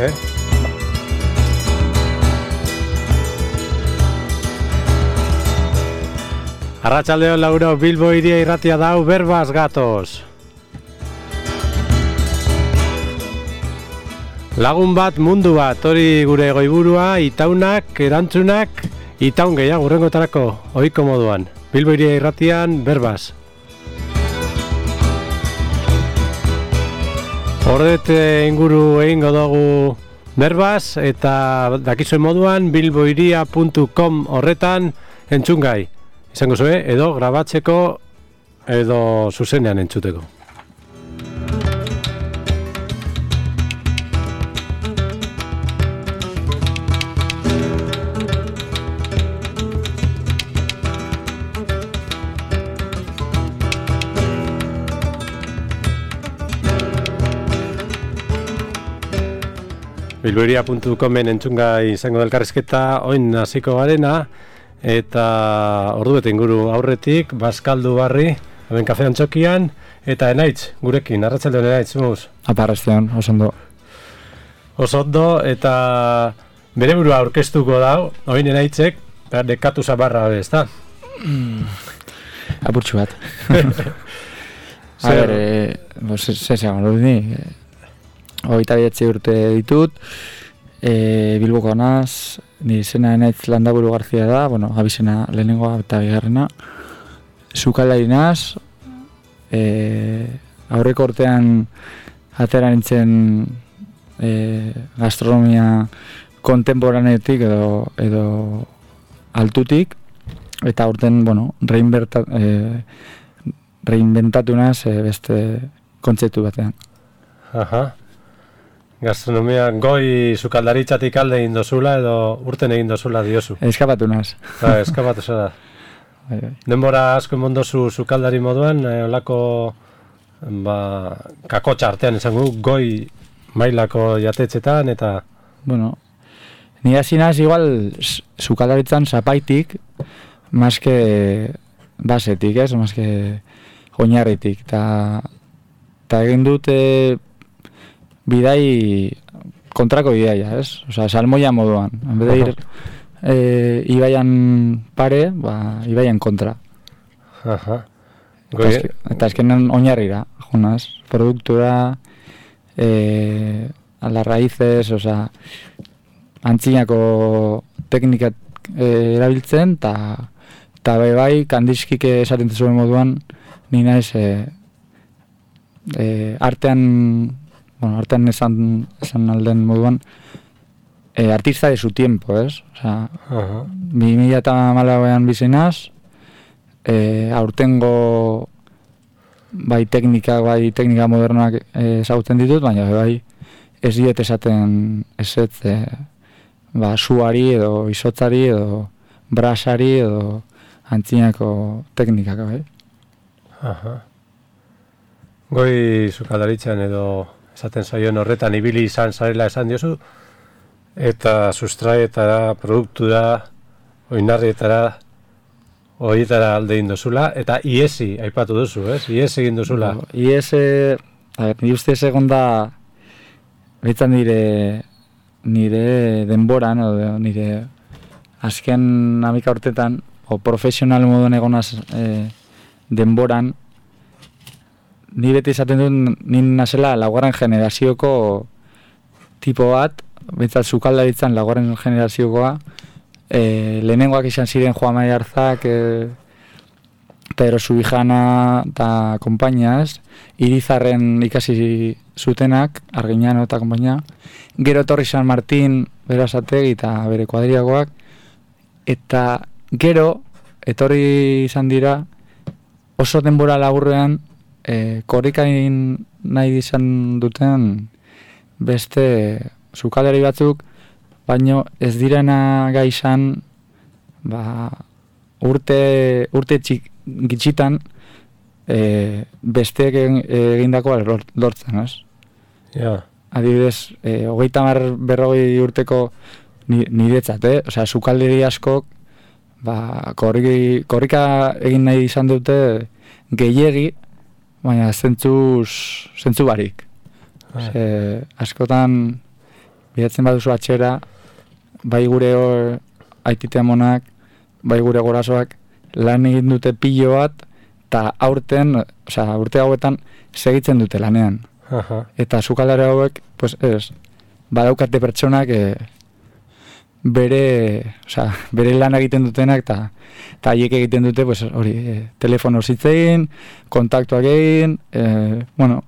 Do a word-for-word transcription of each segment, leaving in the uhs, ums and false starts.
eh? Arratsaldeon lauro, Bilbo hiria irratia dau, berbaz gatoz. Lagun bat, mundu bat, hori gure goiburua, itaunak, erantzunak, itaun gehiago urrengotarako, ohiko moduan. Bilbo hiria irratian, berbaz. Ordet inguru egingo dugu berbaz, eta dakizuen moduan, bilbohiria puntu com horretan entzungai. Izango zue, edo grabatzeko, edo zuzenean entzuteko. bilbohiria puntu comen entzungai izango da elkarrizketa, oin hasiko garena, eta ordu bete inguru aurretik, Baskaldu Barri, hemen kafe antzokian, eta Enaitz, gurekin, arratsaldeon Enaitz, muz? Apa, arratsaldeon, oso ondo. Oso ondo, eta bere burua aurkeztuko dau, oin Enaitzek, dekatu zabarra, ez da? Mm, apurtxu bat. A ber, eh, zezean, hori ni, hogeita bederatzi urte ditut, e, Bilboko naz, ni izena Enaitz Landaburu Garzia da, bueno, abizena lehenengoa eta bigarrena. Sukaldari naz, e, aurreko urtean atera nintzen e, gastronomia kontemporaneotik edo, edo altutik, eta urten, bueno, reinberta, e, reinventatu naz e, beste kontzeptu batean. Aha. Gastronomia goi sukaldaritzatik alde egin dozula edo urten egin dozula diozu? Eskapatu naz. Ba, eskapatu zara. Denbora asko emon dozu sukaldari moduan, eh, olako ba, kakotxa artean esango goi mailako jatetzetan eta... Bueno, ni hasi naz igual sukaldaritzan zapaitik, maske basetik, ez? Maske oinarritik. Ta, ta egin dute... bidai kontrako bidaia, ez? Osea, salmoia moduan. En vez de ir eh, ibaian pare, ba, ibaian kontra. Aha. Eta, eske, eta eskenan oinarrira, junaz. Produktura, eh, a las raíces, osea, antzinako teknika eh, erabiltzen, eta ta bai bai, kandizkik esaten zuen moduan, ni naiz eh, eh, artean Bueno, artean esan, esan alden moduan, e, artista de su tiempo, ez? Osea, uh-huh. bi mila eta hamalauean bizinaz, e, aurtengo bai teknika, bai teknika modernoak ezagutzen ditut, baina bai ez diet esaten ezetz, e, ba, suari edo izotzari edo brasari edo antzinako teknikak, bai. Aha. Goi sukaldaritzan edo esaten zaion horretan ibili izan zarela esan diozu, eta sustraietara, produktura, oinarrietara, horietara alde egin dozula, eta iesi aipatu duzu, ez? Iesi egin dozula. No, iesi, a ver, ni ustez egon da, behitzen nire, nire denboran, o nire azken amika urtetan, o profesional moduan egonaz eh, denboran, ni beti izaten dut, nin nazela laugarren generazioko tipo bat, behintzat sukaldaritzan laugarren generaziokoa, e, lehenengoak izan ziren Juan Mari Arzak, e, Pedro Subijana eta konpainiaz, Irizarren ikasi zutenak, Argiñano eta konpainia, gero etorri San Martín, Berazategi eta bere kuadriagoak, eta gero etorri izan dira oso denbora laburrean, E, korrikain nahi izan duten beste sukaldari batzuk, baino ez direna gai izan ba, urte, urte txik, gitxitan e, besteek egindakoa lortzen, ez? Ja. Adibidez, e, hogeita hamar berrogei urteko niretzat, eh? Osea, sukaldari askok ba, korrika, korrika egin nahi izan dute gehiegi, baina zentzuz, zentzu barik. Ze, askotan bidatzen baduzu atxera, bai gure hor, aitite amonak, bai gure gorasoak, lan egin dute pilo bat, eta aurten, osea, urte hauetan, segitzen dute lanean. Aha. Eta sukaldari hauek, pues ez, badaukate pertsonak e, bere, osea, bere lan egiten dutenak, eta eta haiek egiten dute, pues hori, e, telefono zitzein, kontaktuak egin, e, bueno,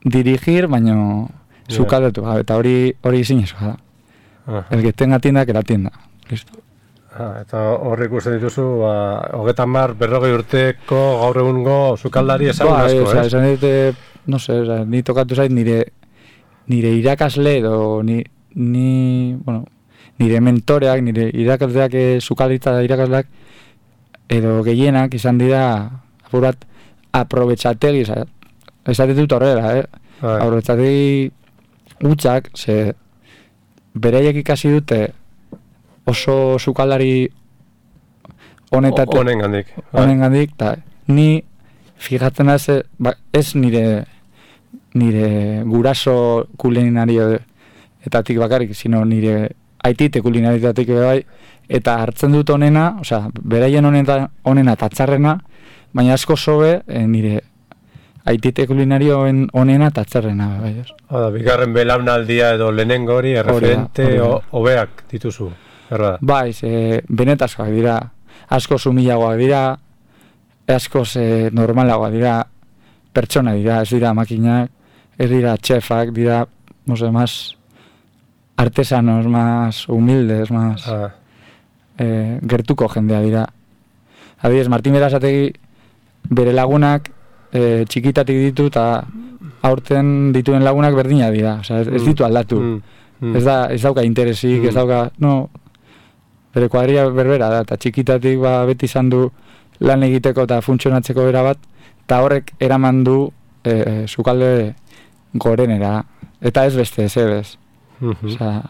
dirigir, baino sukaldatu, yeah. Eta hori hori zinezkoa da. Aha. El que tenga tienda, que la tienda. Listo. Ah, eta horre ikusten dituzu, ba, hogetan mar, berrogei urteko gaur egungo sukaldari esan ba, asko, ez? ez? Esan dute, no sé, oza, ni tokatu zait nire, nire irakasle edo ni, ni, bueno, nire mentoreak, nire irakasleak, eh, sukaldaritza irakasleak, edo gehienak izan dira, apur bat, aprobetxategi, esaten dut horrela, eh? Bai. Aprobetxategi gutxak, ze beraiek ikasi dute, oso sukaldari honetatik, honengandik, honengandik, eta ni fijatzen ez, ba, ez nire nire guraso kulinario etatik bakarrik, sino nire aitite kulinarioetatik bai, eta hartzen dut honena, osea, beraien honena, honena eta txarrena, baina asko sobe e, nire aitite kulinarioen honena eta txarrena bai, ez? Oda, bigarren belaunaldia edo lehenengo hori, erreferente hobeak dituzu. Erra. Bai, ze, benetazkoak dira, asko sumilagoak dira, asko ze normalagoak dira, pertsona dira, ez dira makinak, ez dira txefak, dira, no sé, más artesanos, más humildes, más ah. eh, gertuko jendea dira. Adibidez, Martin Berasategi bere lagunak eh, txikitatik ditu eta aurten dituen lagunak berdina dira, osea, ez, ez ditu aldatu. Mm. Mm. Ez, da, ez dauka interesik, mm. ez dauka, no, bere kuadria berbera da, eta txikitatik ba, beti izan du lan egiteko eta funtzionatzeko bera bat, eta horrek eraman du e, e, sukalde gorenera, eta ez beste, ez ebez. Mm-hmm. Osea,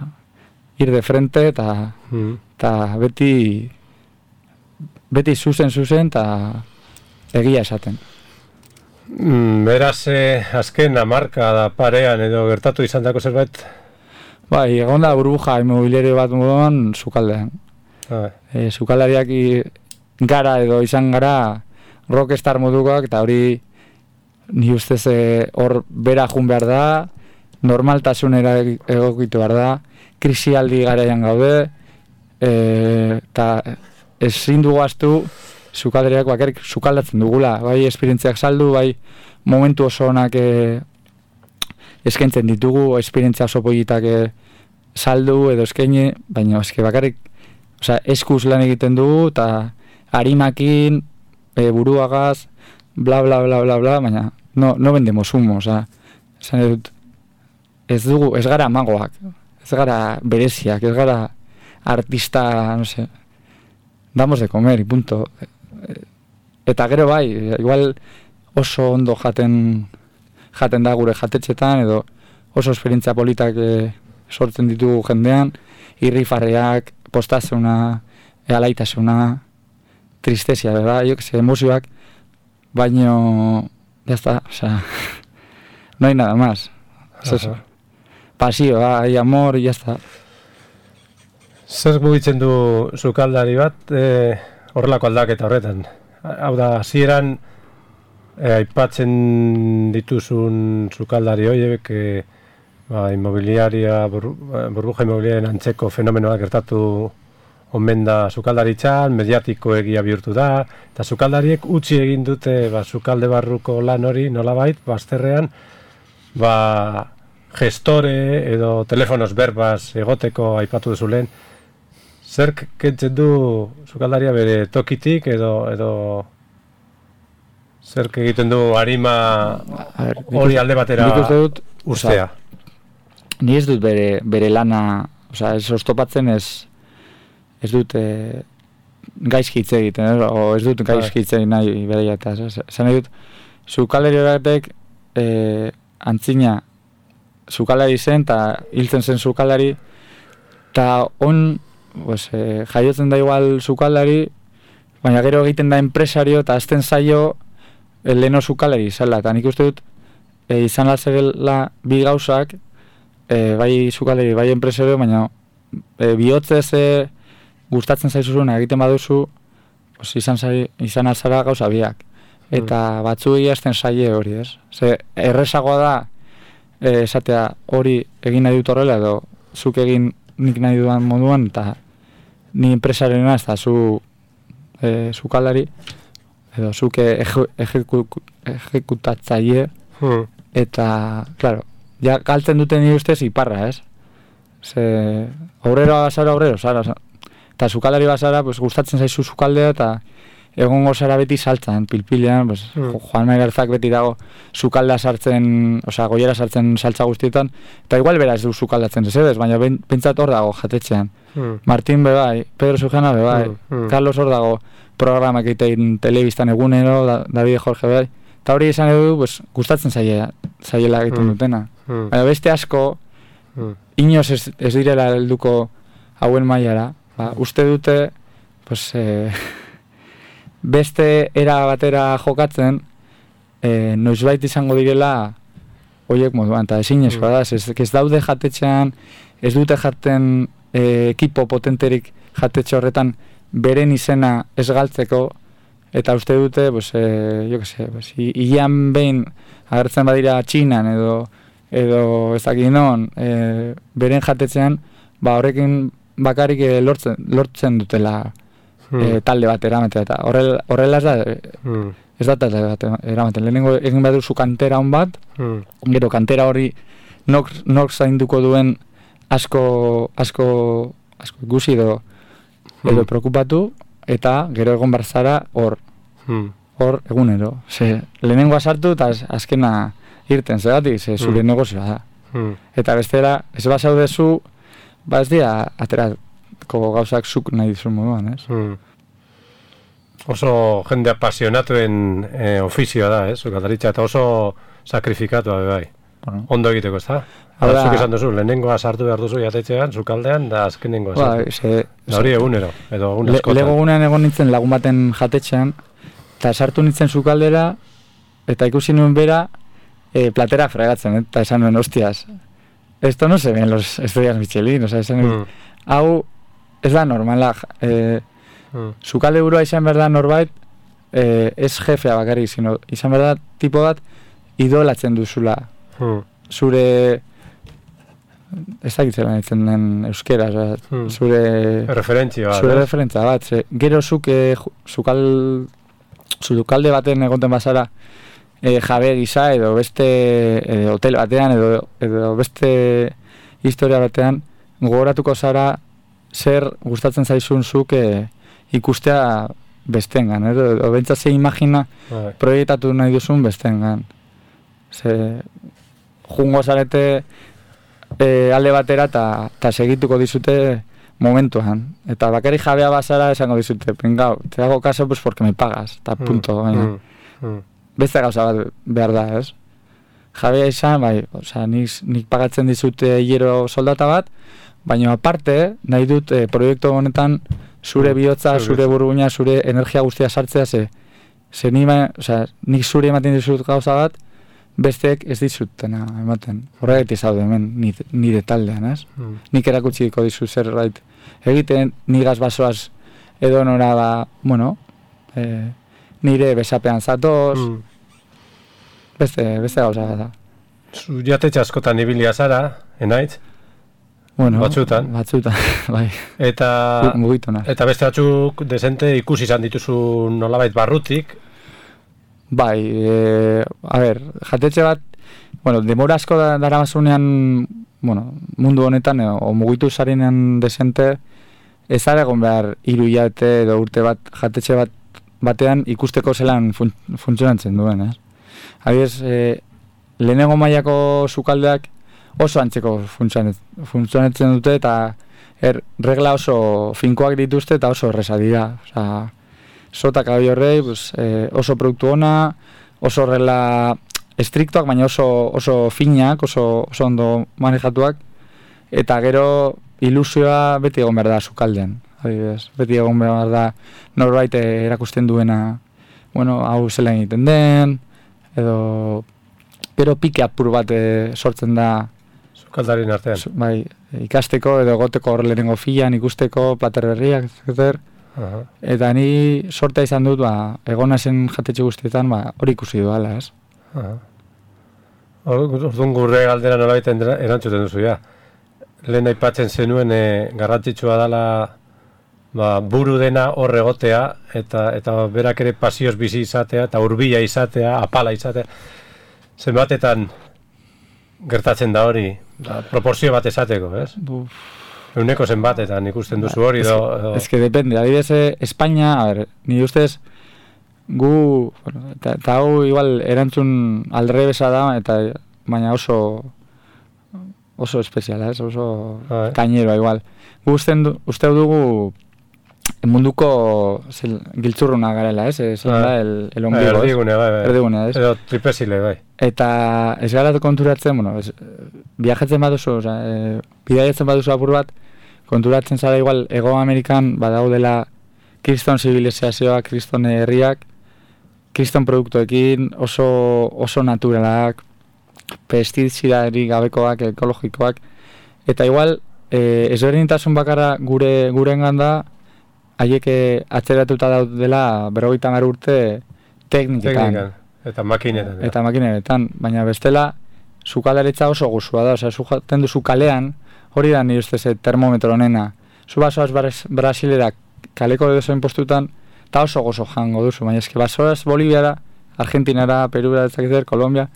ir de frente, eta mm. beti beti zuzen zuzen, eta egia esaten. Mm, beraz, eh, azken hamarka da parean edo gertatu izan dako zerbait? Bai, egon da burbuja inmobiliario bat moduan sukaldean. Ah. E, sukaldariak gara edo izan gara rockstar modukoak, eta hori ni ustez hor bera jun behar da, normaltasunera egokitu behar da, krisialdi garaian gaude, eta e, ezin dugu astu sukaldariak bakarrik sukaldatzen dugula, bai esperientziak saldu, bai momentu oso onak e, eskaintzen ditugu, esperientzia oso politak e, saldu edo eskaini, baina eske bakarrik, osea, eskuz lan egiten dugu, eta harimakin, e, buruagaz, bla, bla, bla, bla, bla, baina no, no vendemos humo, osea, esan dut, ez dugu, ez gara magoak, ez gara bereziak, ez gara artista, no sé, damos de comer, y punto. Eta gero bai, igual oso ondo jaten, jaten da gure jatetxetan, edo oso esperientzia politak e, sortzen ditugu jendean, irrifarreak, postazuna, alaitasuna, tristesia, bera, jo que se, emozioak, baino, ya está, o sea, no hay nada más, es eso. Pasio, hay amor, y ya está. Zer mugitzen du sukaldari bat, e, horrelako aldaketa horretan? Hau da, hasieran e, aipatzen dituzun sukaldari horiek, e, ba, inmobiliaria, bur, burbuja inmobiliarien antzeko fenomenoak gertatu omen da sukaldaritzan, mediatiko egia bihurtu da, eta sukaldariek utzi egin dute ba, sukalde barruko lan hori nolabait, bazterrean, ba, gestore edo telefonos berbaz egoteko aipatu duzu lehen. Zerk kentzen du sukaldaria bere tokitik edo edo zerk egiten du arima hori alde batera ustea? Ni ez dut bere, bere lana, osea, ez oztopatzen ez ez dut e, gaizki hitz egiten, ez? O ez dut gaizki hitz egin nahi bereia eta esan dut sukaldari batek e, antzina sukaldari zen eta hiltzen zen sukaldari eta on pues, e, jaiotzen da igual sukaldari, baina gero egiten da enpresario eta azten zaio leheno sukaldari izala, eta nik uste dut e, izan latzegela bi gauzak e, bai sukaldeari, bai enpresario, baina e, bihotzez e, gustatzen zaizuzuna egiten baduzu, pues, izan, zari, izan alzara gauza biak. Eta batzu egazten saie hori, ez? Ze, errezagoa da, e, esatea hori egin nahi dut horrela, edo zuk egin nik nahi dudan moduan, eta ni enpresarena ez da zu e, sukaldari, edo zuk ejekutatzaile, hmm. eta, claro, ja galtzen duten nire ustez iparra, ez? Ze, aurrero bazara aurrero, zara, eta sukaldari bazara, pues, gustatzen zaizu sukaldea, eta egongo zara beti saltzan, pilpilean, pues, mm. Juan Maigarzak beti dago sukaldea sartzen, osea, goiera sartzen saltza guztietan, eta igual bera ez du sukaldatzen ez edez, baina pentsat hor dago jatetxean. Mm. Martin bebai, Pedro Sujana bebai, mm. Mm. Carlos hor dago programak egitein telebistan egunero, da, David Jorge bebai, eta hori esan edu, pues, gustatzen zaila, zaiela egiten mm. dutena. Mm. Baina beste asko, mm. inoz ez, ez direla helduko hauen mailara, ba, uste dute, pues, eh, beste era batera jokatzen, e, noizbait izango direla horiek moduan, eta ezin eskoa da, ez, ez daude jatetxean, ez dute jaten e, ekipo potenterik jatetxe horretan beren izena ez galtzeko, eta uste dute, pues, e, jo que se, pues, hilean behin agertzen badira Txinan edo, edo ez dakit non, e, beren jatetxean, ba horrekin bakarik e, lortzen, lortzen dutela, Hmm. E, talde bat eramaten, eta horrela, horrela ez da, hmm. ez da talde bat eramaten. Lehenengo egin behar duzu kantera hon bat, hmm. gero kantera hori nok, nok zainduko duen asko, asko, asko ikusi edo, hmm. edo preokupatu, eta gero egon barzara hor, hmm. hor egunero. Ze, lehenengoa sartu eta azkena irten, zegatik, ze zure hmm. negozioa da. Hmm. Eta bestera, ez basaudezu, ba ez dira, atera, ko gauzak zuk nahi dizu moduan, ez? Hmm. Oso jende apasionatuen eh, ofizioa da, ez? Sukaldaritza, eta oso sakrifikatua, bai. Bueno. Ondo egiteko, ez da? Hala, zuk esan duzu, lehenengoa sartu behar duzu jatetxean, sukaldean, da azkenengoa sartu. Ba, se, da hori egunero, edo egun askotan. Le, lego egunean egon nintzen lagun baten jatetxean, eta sartu nintzen sukaldera, eta ikusi nuen bera, eh, platera fregatzen, eta esan nuen, hostias, esto no se ven los estrellas Michelin, o sea, esan nuen, mm. hau, ez da normala, eh, mm. sukalde burua izan behar da norbait, eh, ez jefea bakarrik, sino izan behar da tipo bat idolatzen duzula. Mm. Zure, ez dakitzen ditzen den euskera, mm. zure... Referentzia bat. Zure referentzia bat. Ze, gero zuk, eh, zukal, sukalde baten egonten bazara, eh, jabe gisa, edo beste eh, hotel batean, edo, edo beste historia batean, gogoratuko zara, zer gustatzen zaizun zuk e, ikustea bestengan, edo, edo bentsa ze imagina right. proiektatu nahi duzun bestengan. Ze, jungo zarete e, alde batera eta segituko dizute momentuan. Eta bakari jabea bazara esango dizute, pringau, te hago caso pues porque me pagas, eta punto. Mm, mm, mm. Beste gauza bat behar da, ez? Jabea izan, bai, oza, nik, nik pagatzen dizute hilero soldata bat, baina aparte, nahi dut e, proiektu honetan zure bihotza, zure burbuina, zure energia guztia sartzea, ze, ze nima, oza, nik zure ematen dizut gauza bat, besteek ez dizutena ematen. Horregatik zaude hemen nire taldean, ez? Mm. Nik erakutsiko dizut zerbait egiten, nigaz basoaz edo nora da, bueno, e, nire besapean zatoz, mm. beste, beste gauza da. Zu jatetxe askotan ibilia zara, enaitz? Bueno, batzutan. Batzutan, bai. Eta, eta beste batzuk desente ikusi izan dituzu nolabait barrutik. Bai, e, a ber, jatetxe bat, bueno, demora asko da, dara bazunean, bueno, mundu honetan, o, o mugitu zarenean desente, ez da egon behar hiru hilabete edo urte bat, jatetxe bat batean ikusteko zelan fun, funtzionatzen duen, ez? Adibidez, e, lehenengo mailako sukaldeak, oso antzeko funtzionatzen dute eta er, regla oso finkoak dituzte eta oso erresa dira. Osa, sotak abi horrei, pues, eh, oso produktu ona, oso regla estriktoak, baina oso, oso finak, oso, oso ondo manejatuak, eta gero ilusioa beti egon behar da sukaldean. Adibidez, beti egon behar da norbait erakusten duena, bueno, hau zela egiten den, edo gero pike apur bat e, sortzen da sukaldarien artean. Bai, ikasteko edo egoteko hor lehenengo filan, ikusteko, plater berriak, zer. Aha. Eta ni sortea izan dut, ba, egona zen jatetxe guztietan, ba, hori ikusi duala, ez? Orduan gurre galdera nolabait erantzuten duzu, ja. Lehen aipatzen zenuen e, garrantzitsua dela ba, buru dena hor egotea, eta, eta berak ere pasioz bizi izatea, eta hurbila izatea, apala izatea. Zenbatetan gertatzen da hori, ba, proporzio bat esateko, ez? Buf. Euneko zenbatetan ikusten duzu hori do... Ez que depende, adibidez, Espainia, a ver, ni ustez, gu, bueno, eta, eta hau igual erantzun aldrebesa da, eta baina oso oso espeziala, ez? Oso ah, kaineroa igual. Gu usten du, uste dugu munduko zel, giltzurruna garela, ez? Zein ah, da, el, el ombligo, erdigune, bai, bai. Erdigune, ez? Edo tripezile, bai. Eta ez gara konturatzen, bueno, ez, viajatzen baduzu, oza, e, bidaiatzen baduzu apur bat, konturatzen zara igual, Ego Amerikan badaudela kriston zibilizazioak, kriston herriak, kriston produktuekin, oso, oso naturalak, pestizidari gabekoak, ekologikoak, eta igual, e, ezberdintasun bakarra gure gurengan da, haiek atzeratuta daudela berrogeita hamar urte tekniketan. Teknikan, eta makinetan. Eta makinetan, baina bestela, sukaldaritza oso guzua da, osea, zu jaten duzu kalean, hori da nire ustez termometro honena. Zu basoaz Brasilera kaleko edozein postutan, eta oso gozo jango duzu, baina eski basoaz Boliviara, Argentinara, Perura, etzakizer, Kolombia,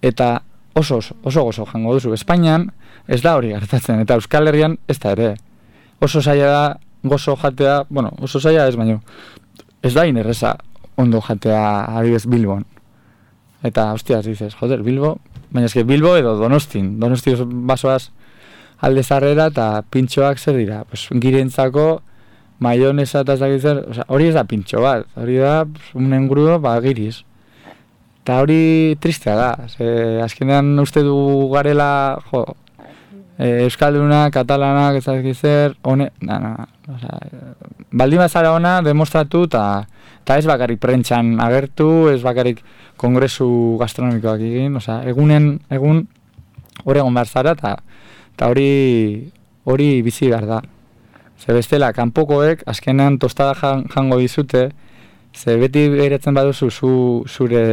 eta oso, oso gozo jango duzu. Espainian ez da hori gertatzen, eta Euskal Herrian ez da ere. Oso zaila da gozo jatea, bueno, oso zaila ez baino, ez da inerreza ondo jatea adibidez Bilbon. Eta, hostias, dices, joder, Bilbo, baina eski Bilbo edo Donostin, Donosti basoaz alde zarrera eta pintxoak zer dira, pues, girentzako maionesa eta zakizer, o sea, hori ez da pintxo bat, hori da un engrudo, ba, giriz. Eta hori tristea da, ze, azkenean uste du garela, jo, e, Euskalduna, Katalanak, ez zakizer, hone, na, na, o sea, baldin bazara ona demostratu eta eta ez bakarrik prentxan agertu, ez bakarrik kongresu gastronomikoak egin, o sea, egunen, egun hori egon behar zara eta eta hori hori bizi behar da. Ze bestela, kanpokoek azkenean tostada jango dizute, ze beti behiratzen baduzu zu, zure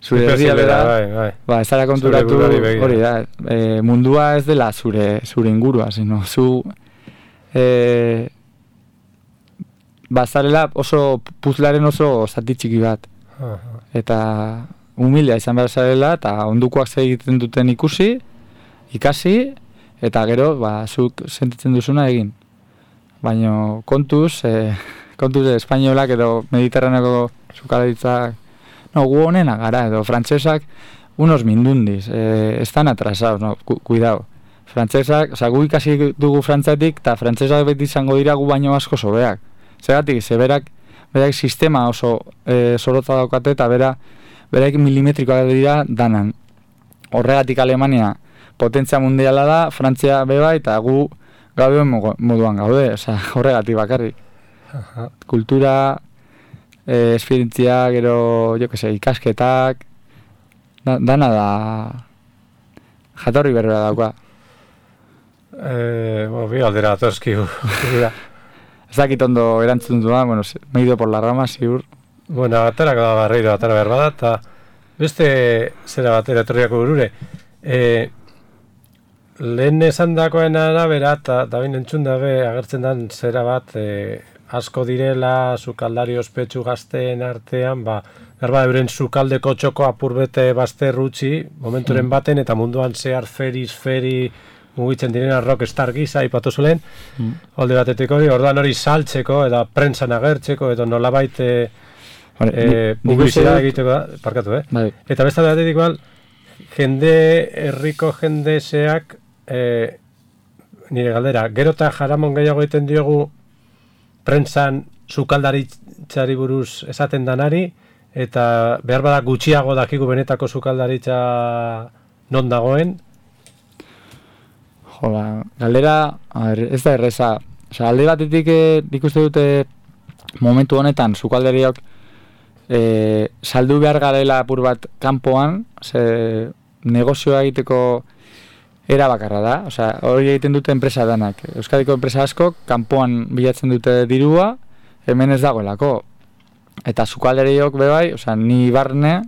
zure herria bera, bai, bai. Ba, ez zara konturatu hori da, e, mundua ez dela zure zure ingurua, sino zu e, bazarela oso puzlaren oso zati txiki bat. Aha. Eta humilea izan behar zarela, eta ondukoak zer egiten duten ikusi, ikasi, eta gero, ba, zuk sentitzen duzuna egin. Baina kontuz, e, kontuz e, espainolak edo mediterraneako sukaldaritzak, no, gu honena gara, edo frantsesak, unos mindundis, e, estan atrasados, no, cu cuidado. Frantsesak, oza, gu ikasi dugu frantzatik, eta frantsesak beti izango dira gu baino asko sobeak. Zeratik, zeberak, berak sistema oso e, zorotza daukate, eta bera, berak milimetrikoak dira danan. Horregatik Alemania potentzia mundiala da, Frantzia beba, eta gu gabe moduan gaude, oza, horregatik bakarrik. Aha. Kultura, e, esperientzia, gero, jo que se, ikasketak, da, dana da jatorri berbera dauka. Eh, bueno, bi aldera atorski. Ez dakit ondo erantzun duan, bueno, me he ido por la rama, ziur. Bueno, aterako da barreiro, atera behar bada, eta beste zera batera etorriako burure. E, lehen esan dakoen arabera, eta da bain entzun dabe, agertzen dan zera bat, e, asko direla, sukaldari ospetsu gazteen artean, ba, berba euren sukaldeko txoko apurbete bazter utzi, momenturen mm. baten, eta munduan zehar feriz, feri, mugitzen direna rockstar gisa, ipatu zulen, mm. alde batetik hori, orduan hori saltzeko, eta prentsan agertzeko, edo nolabait e, e, publizidad egiteko, parkatu, eh? Bai. Eta besta batetik igual, jende, herriko jende zeak, e, nire galdera, gero eta jaramon gehiago egiten diogu prentsan sukaldaritzari buruz esaten danari, eta behar bada gutxiago dakigu benetako sukaldaritza non dagoen. Jola, galdera, a ver, ez da erreza. Osa, alde batetik eh, ikuste dute momentu honetan sukaldariok eh, saldu behar garela apur bat kanpoan, ze negozioa egiteko era bakarra da, osea, hori egiten dute enpresa danak. Euskadiko enpresa asko kanpoan bilatzen dute dirua, hemen ez dagoelako. Eta sukalderiok bebai, osea, ni barne,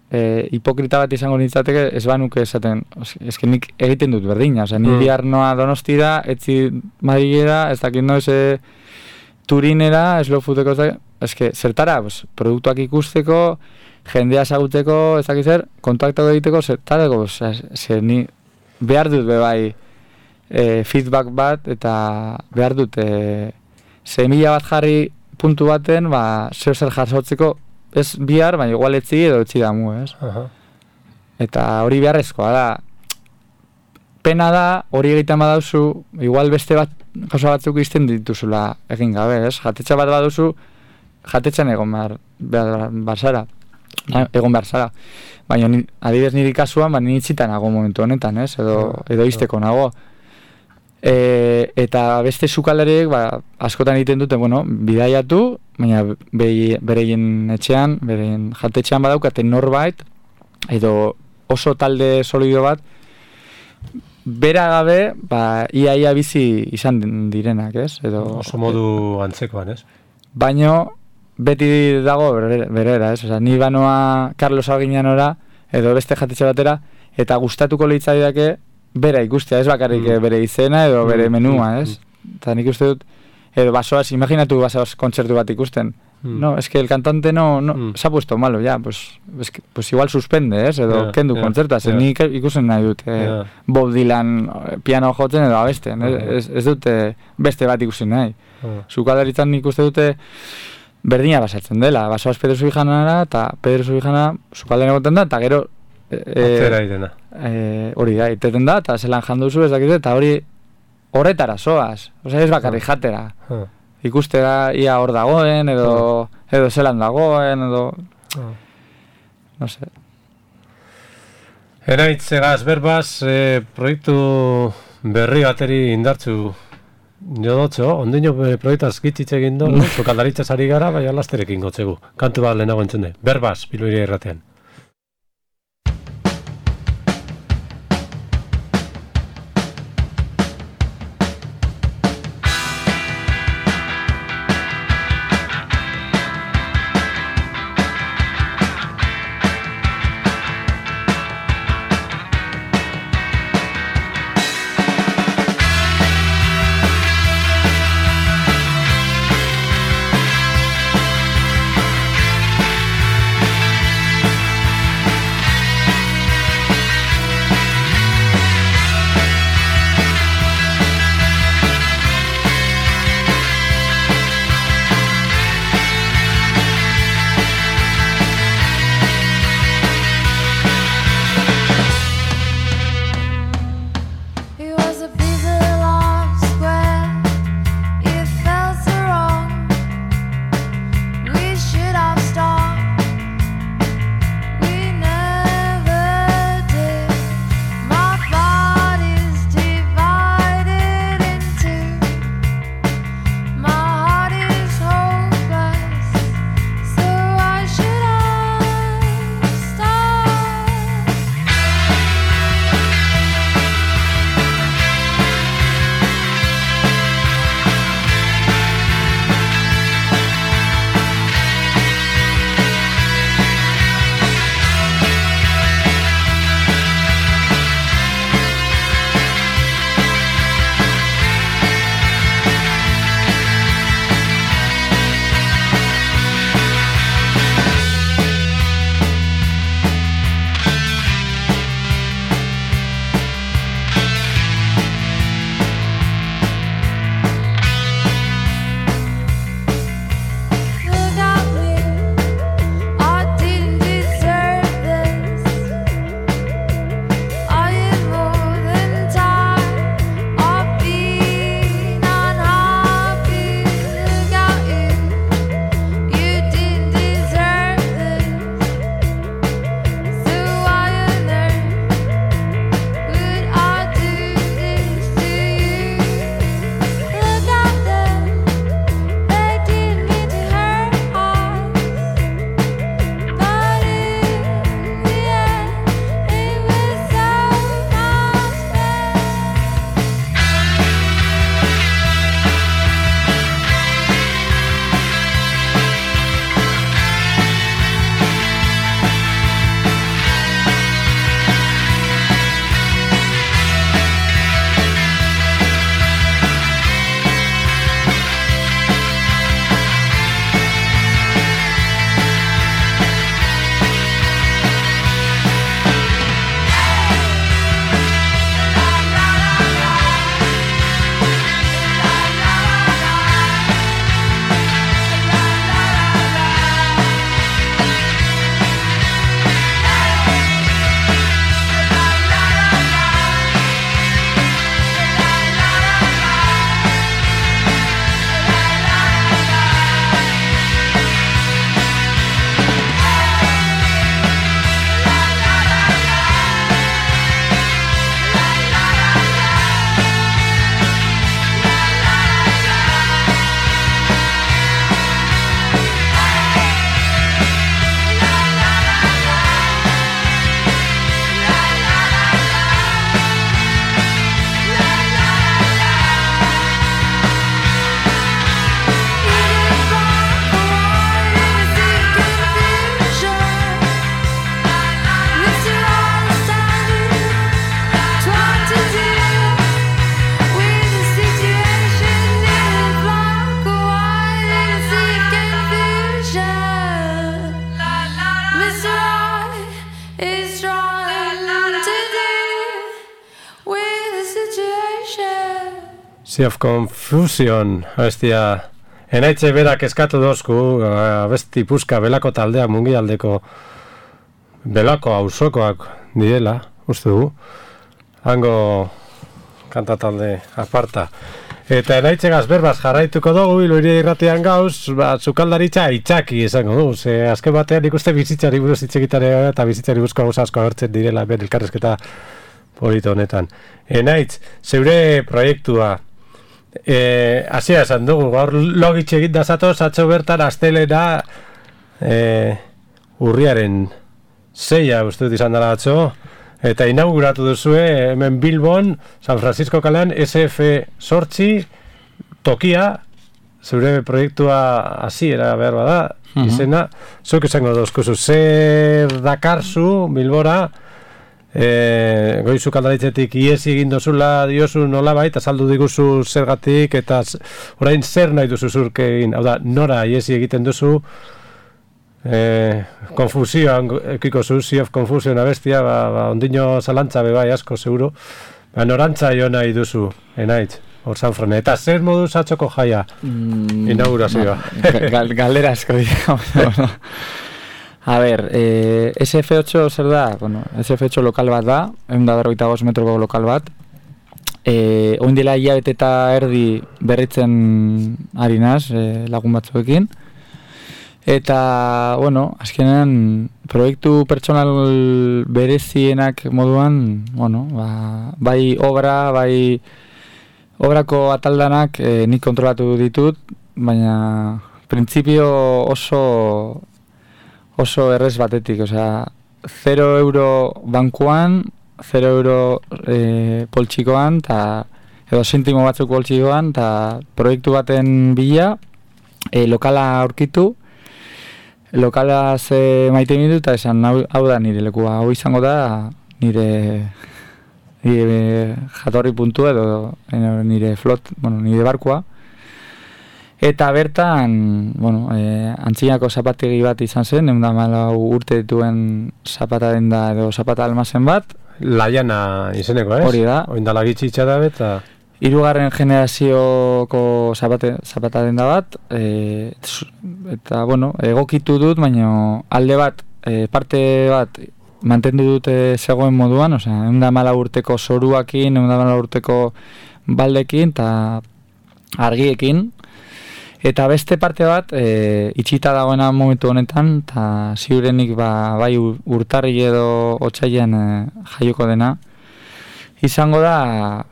e, hipokrita bat izango nintzateke, ez banuke esaten, eske nik egiten dut berdina, osea, ni mm. biharnoa Donostira, etzi Madrilera, ez dakit noiz e, Turinera, slow foodeko, eske, zertara, pues, produktuak ikusteko, jendea esaguteko, ez dakit zer, kontaktako egiteko, zertarako, osea, zer ni behar dut bebai e, feedback bat, eta behar dut e, semilla bat jarri puntu baten, ba, zer zer jasotzeko, ez bihar, baina igual etzi edo etzi damu, ez? Uh-huh. Eta hori beharrezkoa da. Pena da, hori egiten badauzu, igual beste bat, gauza batzuk izten dituzula egin gabe, ez? Jatetxa bat baduzu, jatetxan egon behar, behar, behar zara. Egon behar zara. Baina adibidez niri kasuan, ba, niri itxitan nago momentu honetan, ez? Edo, edo izteko nago. E, eta beste sukaldariek ba, askotan egiten dute, bueno, bidaiatu, baina bereien etxean, bereien jatetxean badaukaten norbait, edo oso talde solido bat, bera gabe, ba, ia ia bizi izan direnak, ez? Edo, oso modu antzekoan, ez? Baino, beti dago berera, ez? Osa, ni banoa Carlos Alginanora, edo beste jatetxe batera, eta gustatuko litzaidake bera ikustea, ez bakarrik mm. bere izena edo bere menua, ez? Eta nik uste dut, edo basoaz, imaginatu basoaz kontzertu bat ikusten. Mm. No, es que el cantante no, no mm. se ha puesto malo, ya, pues, es que, pues igual suspende, ez? Edo yeah, kendu yeah, kontzerta, yeah. Nik ikusten nahi dut, eh, yeah. Bob Dylan piano jotzen edo abesten, uh -huh. ez, ez dute beste bat ikusten nahi. Uh -huh. Sukaldaritzan nik uste dute berdina basatzen dela, basoaz Pedro Subijanara, eta Pedro Subijana sukaldaren egoten da, eta gero atzera irena. E, hori da, iteten da, eta zelan janduzu ez dakit, eta hori horretara zoaz, osea ez bakarri jatera. Uh. Ikustera ia hor dagoen, edo, uh. edo zelan dagoen, edo... Uh. No sé. Eraitzegaz, berbaz, e, proiektu berri bateri indartzu jodotxo, ondino proiektaz gitzitze egin do, sukaldaritzaz ari gara, baina lasterekin gotzegu. Kantu bat lehenago entzunde. Berbaz, Bilbairia irratean. Sea of Confusion, abestia, enaitze berak eskatu dozku, abesti puska belako taldea mungialdeko belako auzokoak direla, uste du, hango kanta talde aparta. Eta enaitzegaz berbaz jarraituko dugu, Iloiria irratian gauz, ba, sukaldaritza itxaki izango du, ze azken batean ikuste bizitzari buruz itxegitare eta bizitzari buruzko gauza asko agertzen direla, ben elkarrezketa polito honetan. Enaitz, zeure proiektua, e, hasia esan dugu, gaur logitxe egin dazatoz, atzo bertan astelena e, urriaren zeia, uste dut izan dela atzo, eta inauguratu duzue hemen Bilbon, San Francisco kalean, S F sortzi tokia, zure proiektua hasiera behar bada, uh-huh. izena, zuk izango dozkuzu, zer dakarzu Bilbora, e, goizu kaldaritzetik iesi egin dozula diozu nola baita, azaldu diguzu zergatik, eta orain zer nahi duzu zurke egin, hau da, nora iesi egiten duzu, Eh, konfusioan ekiko zu, Sea of Confusion abestia, ba, ba, ondino zalantza bebai asko, seguro. Ba, norantza jo nahi duzu, enaitz, hor Sanfran. Eta zer moduz atzoko jaia, mm, inaugurazioa? Gal, galera asko dira. A ber, eh, S F ocho zer da? Bueno, S F ocho lokal bat da, ehun eta berrogeita bost metroko lokal bat. Eh, oin dela hilabete eta erdi berritzen ari naz, eh, lagun batzuekin. Eta, bueno, azkenean proiektu pertsonal berezienak moduan, bueno, ba, bai obra, bai obrako ataldanak eh, nik kontrolatu ditut, baina printzipio oso oso errez batetik, osea, zero euro bankuan, zero euro eh, poltsikoan, ta, edo sentimo batzuk poltsikoan, eta proiektu baten bila, eh, lokala aurkitu, lokala ze maite mindu eta esan hau, hau da nire lekua, hau izango da nire, nire jatorri puntu edo nire flot, bueno, nire barkua. Eta bertan, bueno, e, antzinako zapategi bat izan zen, ehun eta hamalau urte dituen zapata denda edo zapata almazen bat. Laiana izeneko, ez? Hori da. Oindala gitxitxa da eta... Hirugarren generazioko zapate, zapata denda bat, e, eta, bueno, egokitu dut, baina alde bat, e, parte bat, mantendu dute zegoen moduan, osea, ehun eta hamalau urteko zoruakin, ehun eta hamalau urteko baldekin, eta argiekin, eta beste parte bat, e, itxita dagoena momentu honetan, eta ziurenik ba, bai urtarri edo otsailean e, jaioko dena, izango da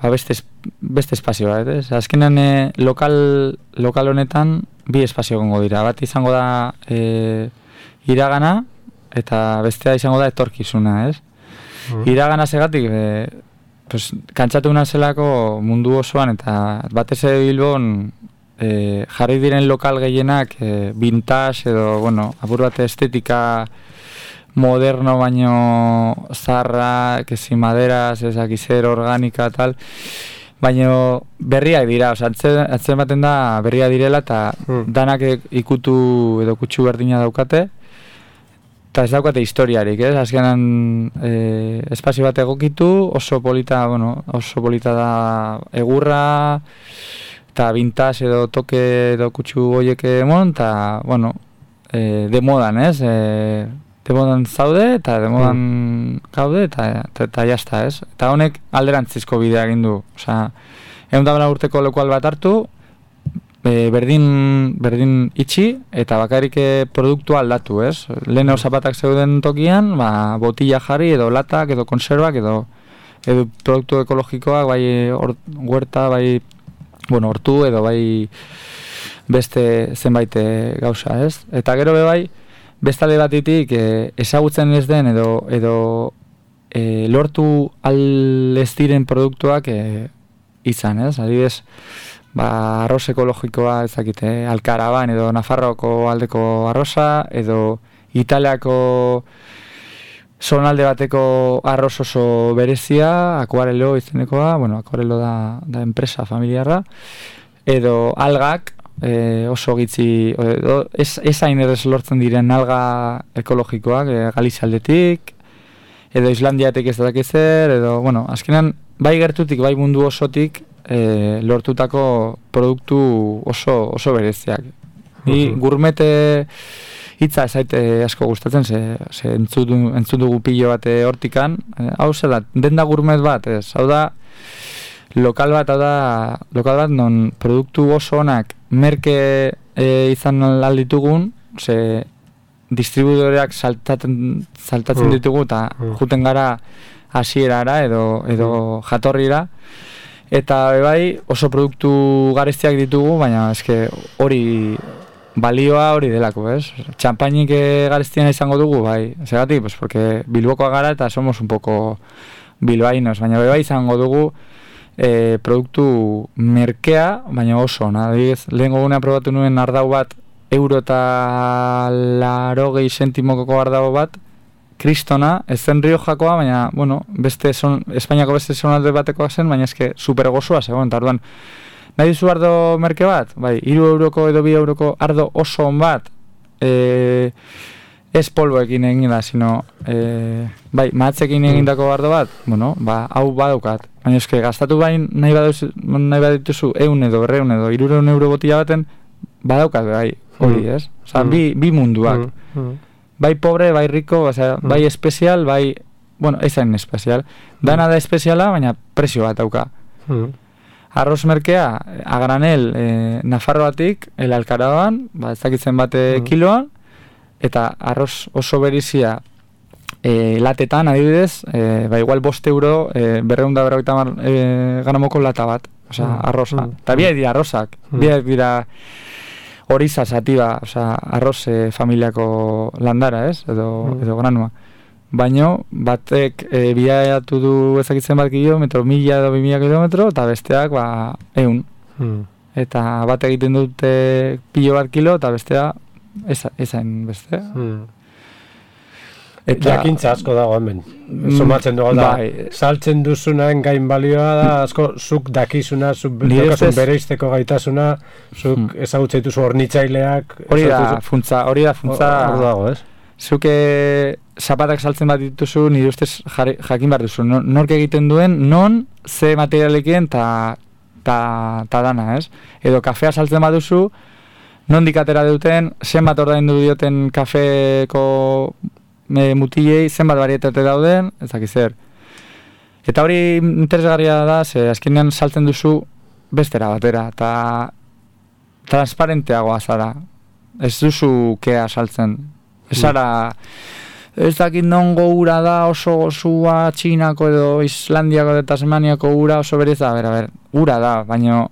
ba, beste beste espazio bat, ez? Azkenean e, lokal, lokal honetan bi espazio gongo dira. Bat izango da e, iragana eta bestea izango da etorkizuna, ez? Mm. Iragana segatik, e, pues, kantzatu nazelako mundu osoan eta batez ere Bilbon e, jarri diren lokal gehienak e, vintage edo, bueno, apur bat estetika moderno baino zarra, kezi maderas, ezakizer, organika, tal, baino berriak dira, oza, atzen, atzen baten da berriak direla eta hmm. danak ikutu edo kutsu berdina daukate eta ez daukate historiarik, ez? Azkenan e, espazio bat egokitu, oso polita, bueno, oso polita da egurra eta vintage edo toke edo kutsu goiek emon, eta, bueno, e, de modan, ez? E, de modan zaude eta de modan mm. gaude eta, eta, eta jazta, ez? Eta honek alderantzizko bidea egin du. Osea, ehun eta hamalau urteko lokal bat hartu, e, berdin, berdin itxi eta bakarrik produktua aldatu, ez? Leheneo zapatak zeuden tokian, ba, botilla jarri edo latak edo konservak edo, edo produktu ekologikoak, bai or, huerta, bai, bueno, hortu edo bai beste zenbait gauza, ez? Eta gero be bai, bestale batitik e, ezagutzen ez den edo, edo e, lortu al ez diren produktuak e, izan, ez? Adibidez, ba, arroz ekologikoa ezakite, Alkaraban edo Nafarroako aldeko arroza, edo Italiako zonalde bateko arroz oso berezia, Akuarelo izenekoa, bueno, Akuarelo da, da enpresa familiarra, edo algak, E, oso gitzi, edo, ez, ez hain errez lortzen diren alga ekologikoak, e, Galizaldetik, edo Islandiatik ez dakizer, edo, bueno, azkenan, bai gertutik, bai mundu osotik, e, lortutako produktu oso, oso bereziak. Ni gourmet hitza esaite asko gustatzen, ze, ze entzun dugu pilo bat hortikan, e, hau zela, denda gourmet bat, ez, hau da, lokal bat, hau da, lokal bat non produktu oso onak merke e, izan alditugun, ze distribuidoreak saltatzen, saltatzen ditugu eta juten gara hasierara edo, edo jatorrira, eta bai oso produktu garestiak ditugu, baina eske hori balioa hori delako, ez? Txampainik garestiena izango dugu, bai, segatik, pues porque Bilbokoa gara eta somos un poco bilbainos, baina bai izango dugu e, produktu merkea, baina oso, adibidez, lehengo gunea probatu nuen ardau bat, euro eta larogei sentimokoko ardau bat, kristona, ez zen Riojakoa, baina, bueno, beste son, Espainiako beste zonalde batekoa zen, baina eske super gozoa zegoen, eta orduan, nahi duzu ardo merke bat? Bai, hiru euroko edo bi euroko ardo oso on bat, e, ez polboekin egin da, sino, e, bai, mahatzekin egindako ardo bat, bueno, ba, hau badaukat. Baina eske, gastatu bain nahi baduzu, nahi badituzu, eun edo, berreun edo, irureun euro botila baten, badaukat, bai, hori, ez? Osa, bi, bi munduak. Bai pobre, bai rico, osea, bai espezial, bai, bueno, ezain espezial. Dana da espeziala, baina presio bat dauka. Arroz merkea, a granel, eh, Nafarroatik, el Alcaraban, ba, ez dakitzen bate kiloan, eta arroz oso berizia eh, latetan, adibidez, eh, ba, igual bost euro, eh, berreunda berroita mar eh, gramoko lata bat, osea, arroza. Eta biak dira arrozak, biak dira horiza sativa, osea, arroz eh, familiako landara, ez, edo, edo granua. Baino, batek e, biaiatu du ezakitzen bat kilometro, mila edo bimila kilometro, eta besteak, ba, eun. Hmm. Eta bat egiten dute pilo bat kilo, eta bestea, ezain bestea. Hmm. Eta, jakintza asko dago hemen. Somatzen dugu da, bai, saltzen duzunaen gain balioa da, asko zuk dakizuna, zuk daukasun bereizteko gaitasuna, zuk hmm. ezagutzen dituzu hornitzaileak. Hori da, funtza, hori da, funtza. Hor dago, ez? Zuke zapatak saltzen bat dituzu, nire ustez jakin behar duzu. Nork egiten duen, non, ze materialekin, ta, ta, ta dana, ez? Edo kafea saltzen bat duzu, nondik atera duten, zenbat ordaindu dioten kafeko e, mutilei, zenbat barietate dauden, ezak zer. Eta hori interesgarria da, ze azkenean saltzen duzu bestera batera, eta transparenteagoa zara. Ez duzu kea saltzen. Ez zara, ez dakit nongo ura da, oso gozua Txinako edo Islandiako edo Tasmaniako ura oso bereza, a ber, a ber, ura da, baina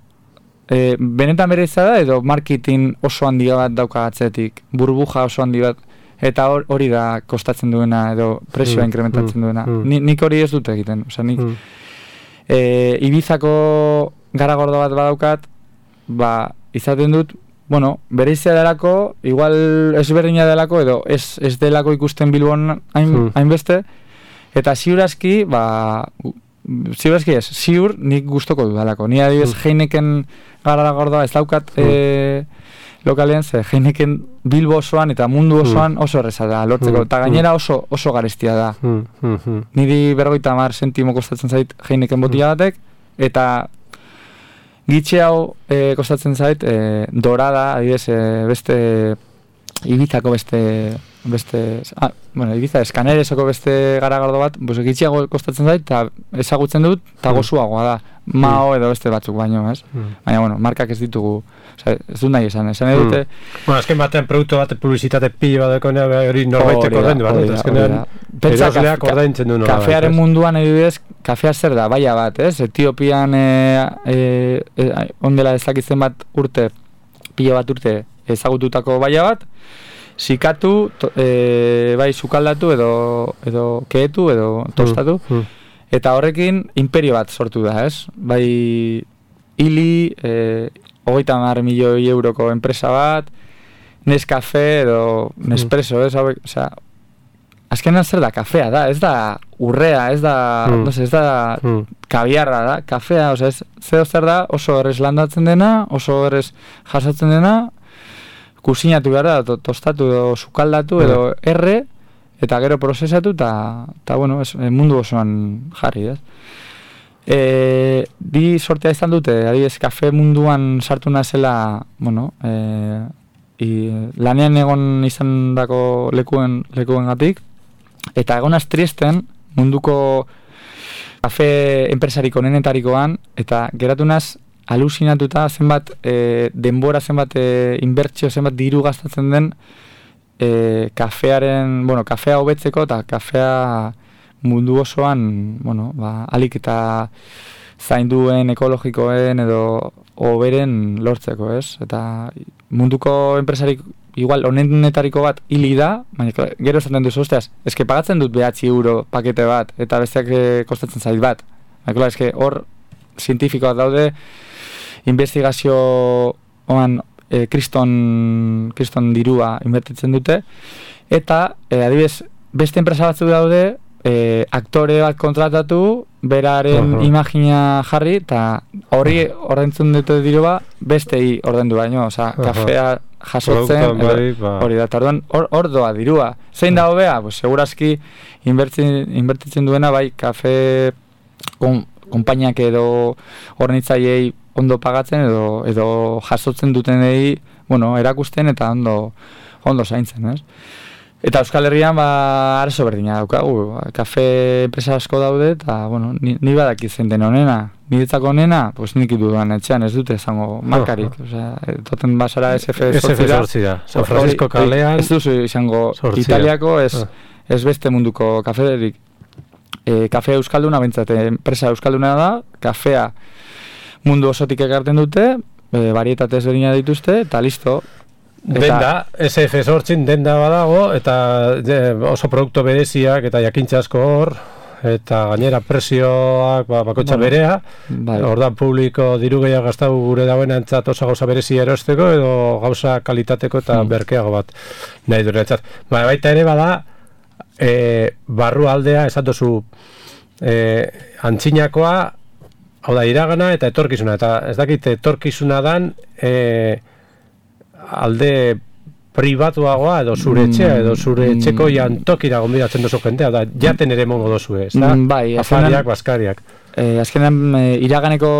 e, benetan bereza da edo marketing oso handi bat dauka atzetik, burbuja oso handi bat, eta hori da kostatzen duena edo presioa mm, inkrementatzen mm, duena. Mm. Ni, nik hori ez dut egiten, osea, nik mm. e, Ibizako gara gordo bat badaukat, ba, izaten dut, bueno, bereizia delako, igual ezberdina delako, edo ez, ez delako ikusten Bilbon hain, hainbeste, eta ziurazki, ba, ziurazki ez, ziur nik gustoko dudalako. Ni adibidez, Heineken gara gordoa ez daukat e, lokalean, ze Heineken Bilbo osoan eta mundu osoan oso erreza da lortzeko, eta gainera oso, oso garestia da. Niri berrogeita hamar sentimo kostatzen zait Heineken botila batek, eta gitxe hau e, kostatzen zait, e, dorada, adibidez, e, beste Ibizako beste, beste, ah, bueno, Ibiza eskaneresoko beste garagardo bat, pues, gitxeago kostatzen zait, eta ezagutzen dut, eta gozuagoa da, Mao edo beste batzuk baino, ez? Baina, bueno, markak ez ditugu, oza, ez dut nahi esan, esan edute... Bueno, azken batean produktu bat publizitate pilo bat dekonea, hori norbaitek ordaindu bat, azkenean erosleak ordaintzen du norbait. Kafearen munduan, edibidez, kafea zer da, baia bat, ez? Etiopian e, e, e, ondela ezakitzen bat urte, pilo bat urte ezagututako baia bat, sikatu, to, e, bai sukaldatu edo, edo keetu edo tostatu, mm, mm. Eta horrekin imperio bat sortu da, ez? Bai hili, e, hogeita hamar milioi euroko enpresa bat, Nescafe edo Nespresso, ez? Osea, azkenan zer da, kafea da, ez da urrea, ez da, mm. no sé, ez da mm. kabiarra da, kafea, osea, ez, zeo zer da, oso errez landatzen dena, oso errez jasotzen dena, kusinatu behar da, to, tostatu edo sukaldatu edo erre, eta gero prozesatu, eta, bueno, es, mundu osoan jarri, ez? E, di sortea izan dute, adibidez, kafe munduan sartu nazela, bueno, e, i, lanean egon izan dako lekuen, lekuen gatik, eta egonaz tristen munduko kafe enpresarik onenetarikoan, eta geratu naz alusinatuta zenbat e, denbora, zenbat e, inbertsio, zenbat diru gastatzen den e, kafearen, bueno, kafea hobetzeko eta kafea mundu osoan, bueno, ba, alik eta zainduen, ekologikoen edo hoberen lortzeko, ez? Eta munduko enpresarik igual honenetariko bat hili da, baina gero esaten duzu, osteaz, eske pagatzen dut behatzi euro pakete bat, eta besteak e, kostatzen zait bat. Baina, eske hor zientifikoak daude, investigazio oan e, kriston, kriston dirua inbertitzen dute, eta e, adibidez, beste enpresa batzuk daude, E, aktore bat kontratatu, beraren uh-huh. imagina jarri, eta horri ordaintzen dute dirua bestei ordaindu baino, osea, uh-huh. kafea jasotzen, hori da, tarduan, hor, hor doa dirua. Zein da hobea? Pues, segurazki inbertitzen duena, bai, kafe kon, konpainiak edo hornitzaileei ondo pagatzen, edo, edo jasotzen dutenei, bueno, erakusten eta ondo, ondo zaintzen, ez? Eta Euskal Herrian, ba, arazo berdina daukagu, kafe enpresa asko daude, eta, bueno, ni, ni badaki zein den honena, niretzako honena, pues nik dudan etxean, ez dute izango markarik, oh, oh. Osea, toten basara S F zortzi da, San Francisco kalean, ez duzu izango sortzia. Italiako, ez, oh. ez beste munduko kafederik, e, kafe euskalduna bentsate, enpresa euskalduna da, kafea mundu osotik ekarten dute, e, varietate ezberdina dituzte, eta listo. Eta, denda, S F zortzin denda badago, eta de, oso produktu bereziak eta jakintza asko hor, eta gainera presioak ba, bakotxa bueno, berea, bai. Ordan publiko diru gehiago gastau gure dagoena entzat oso gauza berezia erosteko, edo gauza kalitateko eta hmm. berkeago bat nahi dure entzat. Ba, baita ere bada, e, barru aldea, esatozu, e, antzinakoa, hau da, iragana eta etorkizuna, eta ez dakit etorkizuna dan, e, alde pribatuagoa edo zure etxea edo zure etxeko jantokira gonbidatzen dozu jendea, da jaten ere mongo dozu ez, da? Bai, afariak, baskariak. Eh, azkenean, e, iraganeko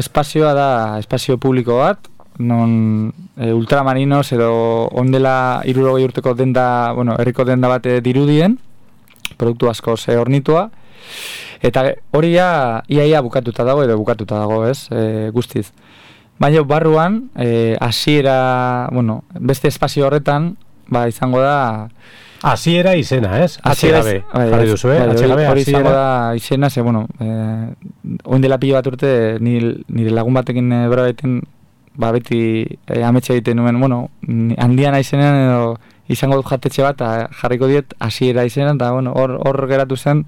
espazioa da espazio publiko bat, non e, ultramarinos edo ondela hirurogei urteko denda, bueno, herriko denda bat dirudien, produktu asko ze hornitua, eta hori ja iaia bukatuta dago edo bukatuta dago, ez, e, guztiz. Baina barruan, eh, hasiera, bueno, beste espazio horretan, ba, izango da... Hasiera izena, ez? Hasiera be, jarri duzu, eh? Hori, hori izango da izena, ze, bueno, eh, oindela pilo bat urte, nire, nire lagun batekin e, bera baiten, ba, beti e, ametxe egiten nuen, bueno, handian aizenean edo izango dut jatetxe bat, eta jarriko diet hasiera izenean, eta, bueno, hor, hor geratu zen,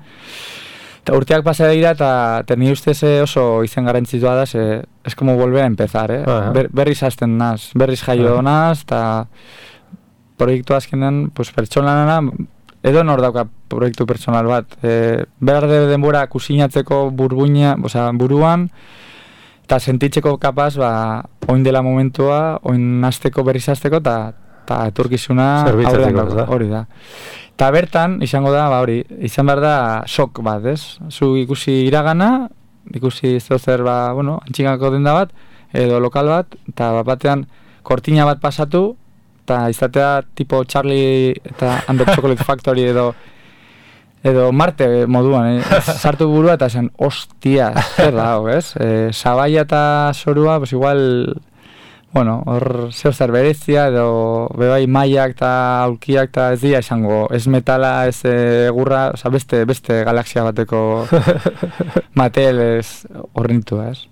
eta urteak pasa dira, eta ni ustez oso izen garantzitua da, ze, es como volver a empezar, eh? Uh-huh. Ber, berriz hasten naz, berriz jaio uh-huh. naz, eta proiektu azkenean, pues, pertsonalana, edo nor dauka proiektu pertsonal bat. E, behar de denbora kusinatzeko burbuina, osea, buruan, eta sentitzeko kapaz, ba, oin dela momentua, oin hasteko berriz hasteko, eta etorkizuna aurrean dauka, hori da. Eta bertan, izango da, ba hori, izan behar da sok bat, ez? Zu ikusi iragana, ikusi zer, ba, bueno, antxingako denda bat, edo lokal bat, eta bat batean kortina bat pasatu, eta izatea tipo Charlie eta And the Chocolate Factory edo edo Marte moduan, eh? Sartu burua eta zen, ostia, zer da, ez? E, Sabaia eta Zorua, pues igual... Bueno, hor zeo zer berezia, edo bebai maiak eta aulkiak eta ez dira esango, ez metala, ez egurra, oza, beste, beste galaxia bateko matel ez horrentu, ez?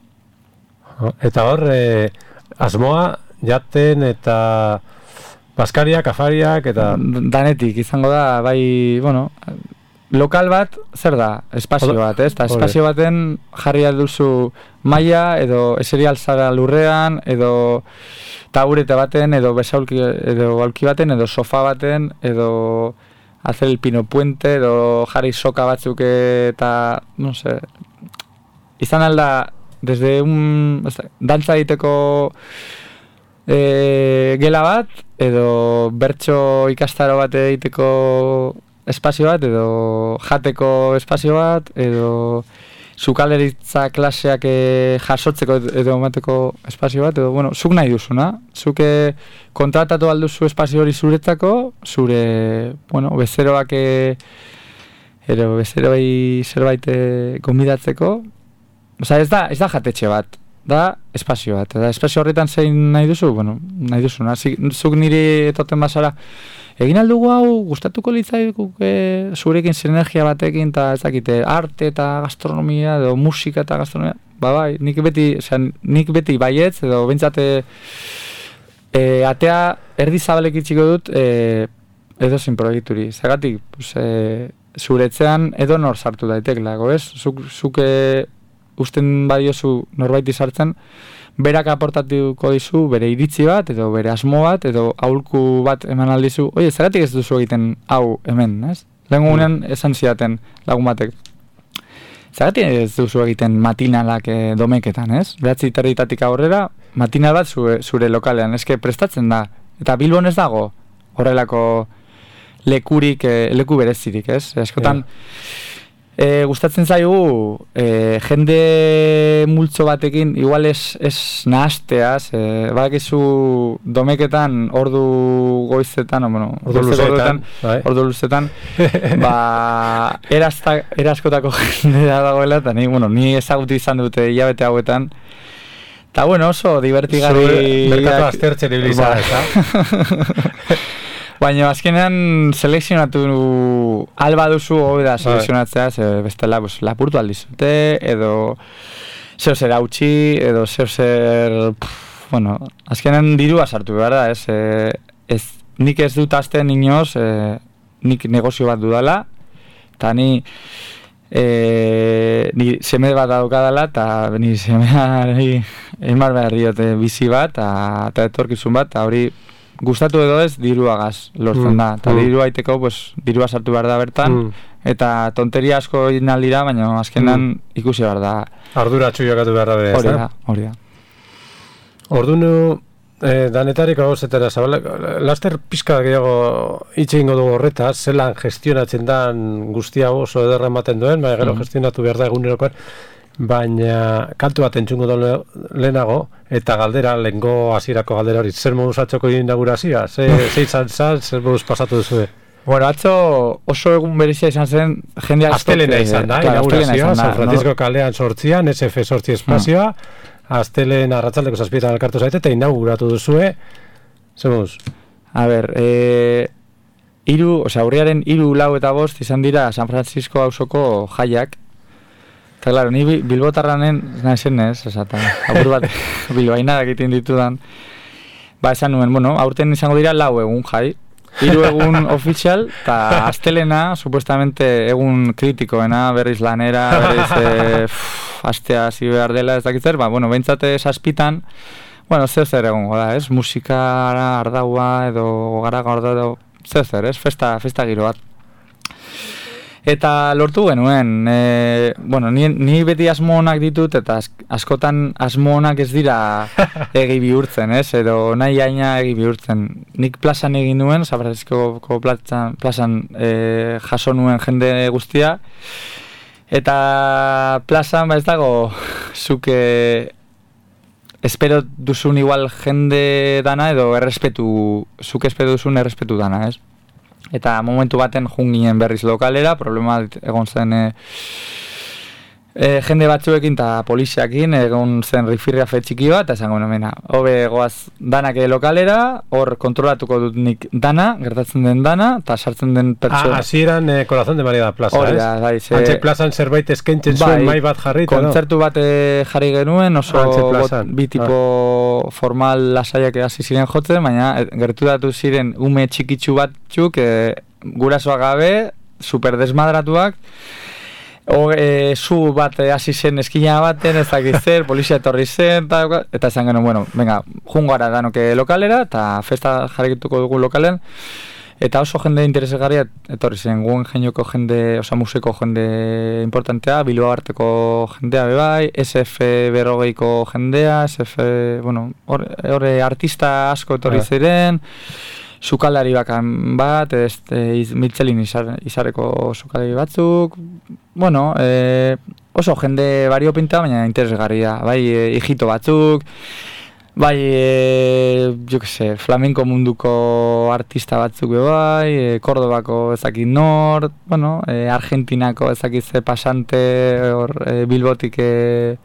Eta hor, eh, asmoa, jaten eta baskariak, afariak, eta... Danetik, izango da, bai, bueno... Lokal bat, zer da? Espazio bat, ez? Eta espazio baten jarri duzu maila, edo eseri alzara lurrean, edo taburete baten, edo besaulki, edo aulki baten, edo sofa baten, edo hacer el pino puente, edo jarri soka batzuk eta, no sé, izan alda, desde un, dantza egiteko e, gela bat, edo bertso ikastaro bat egiteko espazio bat, edo jateko espazio bat, edo sukalderitza klaseak e, jasotzeko edo emateko espazio bat, edo, bueno, zuk nahi duzuna. Zuk e, kontratatu alduzu espazio hori zuretzako, zure, bueno, bezeroak, e, edo bezeroi zerbait e, gonbidatzeko. Osa, ez da, ez da jatetxe bat, da espazio bat. Eta espazio horretan zein nahi duzu, bueno, nahi duzuna. Zuk niri etoten basara, egin aldugu hau, gustatuko litzaikuk e, zurekin sinergia batekin, eta ez dakite, arte eta gastronomia, edo musika eta gastronomia, ba bai, nik beti, osean, nik beti baietz, edo bentsate e, atea erdi zabalek itxiko dut, e, edo zin proiekturi. Zagatik, pues, e, zuretzean edo nor sartu daiteklako, ez? Zuk, zuk e, usten badiozu norbaiti sartzen, berak aportatuko dizu bere iritzi bat, edo bere asmo bat, edo aholku bat eman aldizu, oie, zeratik ez duzu egiten hau hemen, ez? Lehen gunean esan zidaten lagun batek. Zeratik ez duzu egiten matinalak e, domeketan, ez? Behatzi territatik aurrera, matinal bat zure, zure lokalean, eske prestatzen da. Eta Bilbon ez dago horrelako lekurik, e, leku berezirik, ez? Askotan, E, gustatzen zaigu e, jende multzo batekin igual ez, ez nahazteaz, e, badakizu domeketan ordu goizetan, o, bueno, ordu luzetan, ordu luzetan, ba, erazta, eraskotako jendea dagoela, eta ni, bueno, ni ezagutu izan dute hilabete hauetan, eta bueno, oso divertigarri... Merkatu aztertzen ibilizan, eta? Baina azkenean selekzionatu alba duzu hobe da selekzionatzea, ze bestela pues, lapurtu aldizute, edo zeo zer hautsi, edo zeo zer... Pff, bueno, azkenean dirua sartu behar da, ez, e, ez, nik ez dut azten inoz, e, nik negozio bat dudala, eta ni, e, ni seme bat daukadala, eta ni semeari emar behar diote bizi bat, eta etorkizun bat, eta hori... Gustatu edo ez, diruagaz lortzen mm, da. Eta mm. dirua aiteko, pues, dirua sartu behar da bertan. Mm. Eta tonteria asko egin aldira, baina azkenan mm. ikusi behar da. Arduratxu jokatu behar da. Hori da, hori da. Ordunu, eh, danetarik hau zetera zabala, laster pizka gehiago hitz egingo dugu horretaz, zelan gestionatzen dan guztia oso ederra ematen duen, baina gero mm. gestionatu behar da egunerokoan. Baina kantu bat entzungo da lehenago, eta galdera, lehengo hasierako galdera hori, zer moduz atzoko inaugurazioa? Ze, ze izan zan, zer moduz pasatu duzue? Bueno, atzo oso egun berezia izan zen, jendeak... Astelena izan da, inaugurazioa, San Francisco kalean sortzian, S F sortzi espazioa, Astelen arratzaldeko zazpietan elkartu zaite, eta inauguratu duzue, zer moduz? A ber, e, iru, osea, urriaren iru, lau eta bost izan dira San Francisco auzoko jaiak. Eta, claro, ni bilbotarranen nahizen ez, esata, apur bat bilbainadak egiten ditudan. Ba, esan nuen, bueno, aurten izango dira lau egun jai. Hiru egun ofizial, eta astelena, supuestamente egun kritikoena, berriz lanera, berriz e, astea hasi behar dela, ez dakitzer, ba, bueno, behintzate saspitan, bueno, zer zer egongo da, ez? Musikara, ardaua, edo garaga ardaua, edo zer zer, ez? Festa, festa giro bat. Eta lortu genuen, e, bueno, ni, ni beti asmo onak ditut, eta askotan asmo onak ez dira egi bihurtzen, ez? Edo nahi aina egi bihurtzen. Nik plazan egin nuen, San Francisco plazan, plazan e, jaso nuen jende guztia, eta plazan, ba ez dago, zuke espero duzun igual jende dana, edo errespetu, zuke espero duzun errespetu dana, ez? Eta momentu baten junginen berriz lokalera, problema egon zen e, e, jende batzuekin eta poliziakin, egon zen rifirria fetxiki bat, eta esango nomena, hobe goaz danak lokalera, hor kontrolatuko dut nik dana, gertatzen den dana, eta sartzen den pertsona. Ah, así eran eh, Corazón de María da Plaza, ez? Da, bai, ze... Antxe plazan zerbait eskaintzen zuen mai bat jarri, kontzertu bat jarri genuen, oso bot, bi tipo ah. formal lasaiak hasi ziren jotzen, baina gerturatu ziren ume txikitsu batzuk, e, gurasoak gabe, super desmadratuak, O, e, zu bat hasi zen eskina baten, ez dakit zer, polizia etorri zen, ta, eta esan genuen, bueno, venga, jungo gara danoke lokalera, eta festa jarrikituko dugu lokalen, eta oso jende interesgarria etorri zen, guen jenioko jende, osa museko jende importantea, Bilbao arteko jendea bebai, S F berrogeiko jendea, S F, bueno, horre artista asko etorri ziren, sukalari bakan bat, ez, e, Mitxelin izar, izareko sukalari batzuk, bueno, e, oso jende variopinta, baina interesgarria, bai, e, hijito batzuk, bai, e, jo que se, flamenko munduko artista batzuk be bai, e, Kordobako ezakit nor, bueno, e, Argentinako ezakit ze pasante, hor, e, Bilbotik, e,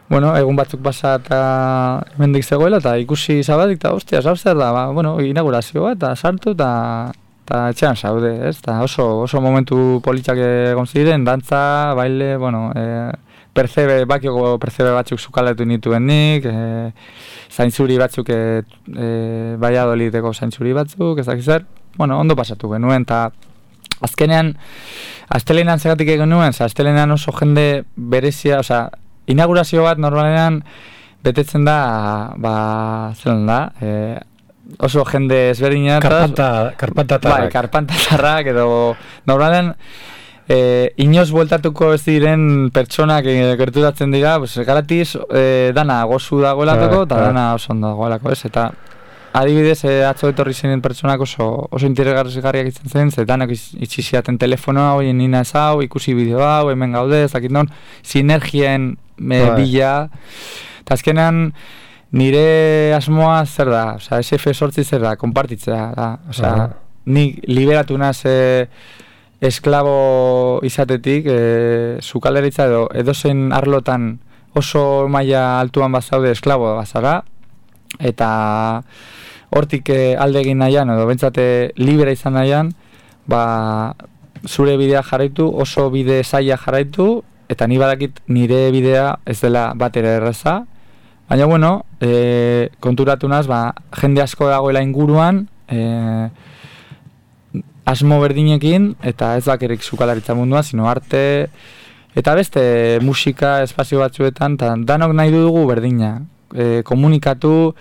bueno, egun batzuk pasa eta hemendik zegoela, eta ikusi zabadik, eta ostia, zer da, ba, bueno, inaugurazioa, eta sartu, eta eta etxean zaude, ez? Ta oso, oso momentu politxak egon ziren, dantza, baile, bueno, e, percebe, bakioko percebe batzuk sukaletu nituen nik, e, zaintzuri batzuk, e, e, Valladolideko zaintzuri batzuk, ez dakiz zer, bueno, ondo pasatu genuen, eta azkenean, astelenean zegatik egin nuen, astelenean oso jende berezia, osea, inaugurazio bat normalean betetzen da, ba, zelan da, e, oso jende ezberdina. Karpanta, karpantatarrak. Bai, karpantatarrak, edo normalean e, inoz bueltatuko ez diren pertsonak e, gerturatzen dira, pues, garatiz e, dana gozu dagoelako, eta dana oso ondo dagoelako, ez, eta adibidez, e, atzo etorri ziren pertsonak oso, oso interesgarriak izan zen, ze danak itxi ziaten telefonoa, oien nina ez hau, ikusi bideo hau, hemen gaude, ez dakit non, sinergien e, bila, eta azkenean nire asmoa zer da, osea, S F zortzi zer da, konpartitzea da, osea, uh -huh. Nik liberatu naz e, esklabo izatetik, e, sukaleritza edo edozen arlotan oso maila altuan bazaude esklabo bazara, eta hortik e, alde egin nahian, edo bentsate libera izan nahian, ba, zure bidea jarraitu, oso bide zaila jarraitu, eta ni badakit nire bidea ez dela bat ere erraza, baina, bueno, e, konturatu naz, ba, jende asko dagoela inguruan, e, asmo berdinekin, eta ez bakerik sukalaritza mundua, sino arte, eta beste musika espazio batzuetan, eta danok nahi dugu berdina. E, komunikatu,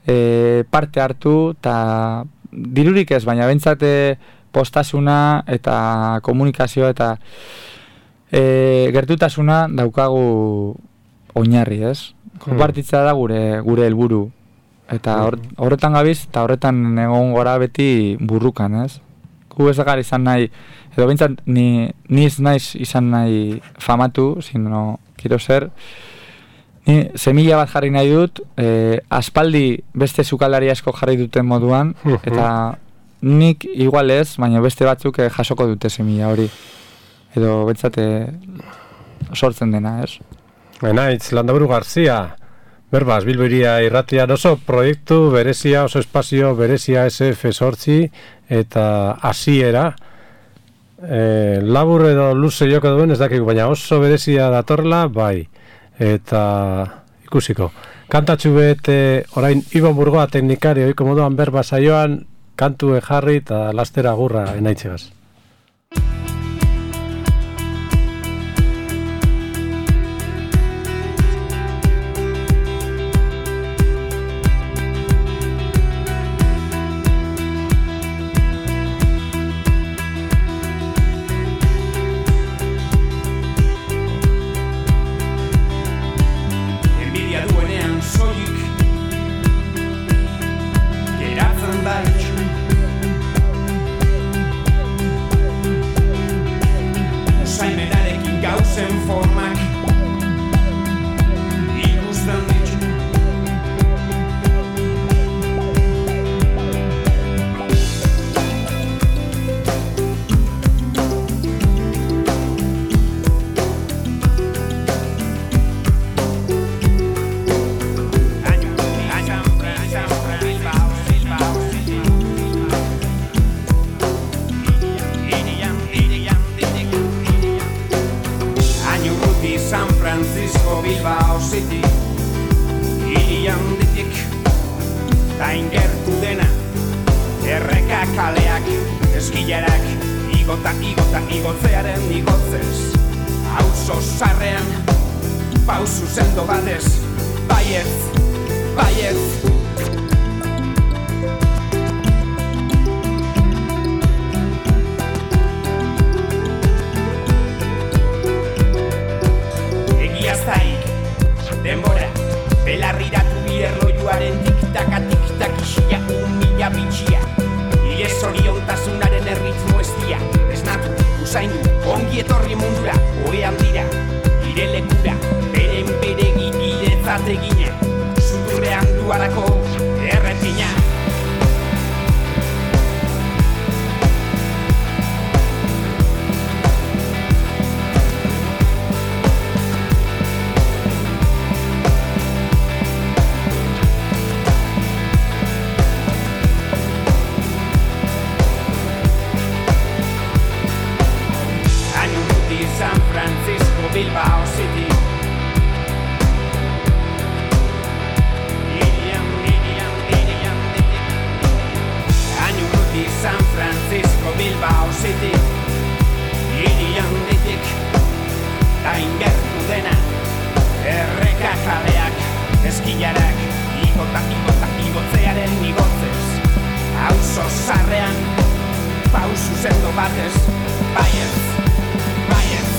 e, parte hartu, eta dirurik ez, baina bentsate postasuna eta komunikazioa eta e, gertutasuna daukagu oinarri, ez? Konpartitza da gure gure helburu. Eta hor, horretan gabiz, eta horretan egon gora beti burrukan, ez? Gu ez gara izan nahi, edo bintzat ni, ni ez naiz izan nahi famatu, sino, kiro zer, ni semilla bat jarri nahi dut, e, aspaldi beste sukalari asko jarri duten moduan, eta nik igual ez, baina beste batzuk eh, jasoko dute semilla hori. Edo bintzate sortzen dena, ez? Enaitz, Landaburu Garzia, berbaz, Bilbo Hiria irratian oso proiektu berezia, oso espazio berezia S F zortzi eta hasiera. E, labur edo luze joko duen ez dakik, baina oso berezia datorla, bai, eta ikusiko. Kantatxu bete orain Ibon Burgoa teknikari oiko moduan berba saioan, kantu jarri eta lastera gurra enaitzegaz. Ongi etorri mundura, oean dira, Francisco, Bilbao City. Irian, irian, irian, Año Urruti, San Francisco, Bilbao City. Irian ditik, ta ingertu dena, erreka jaleak, eskilarak, igotak, igotak, igotzearen igotzez. Auzo zarrean, pausu sendo batez, baiez, baiez.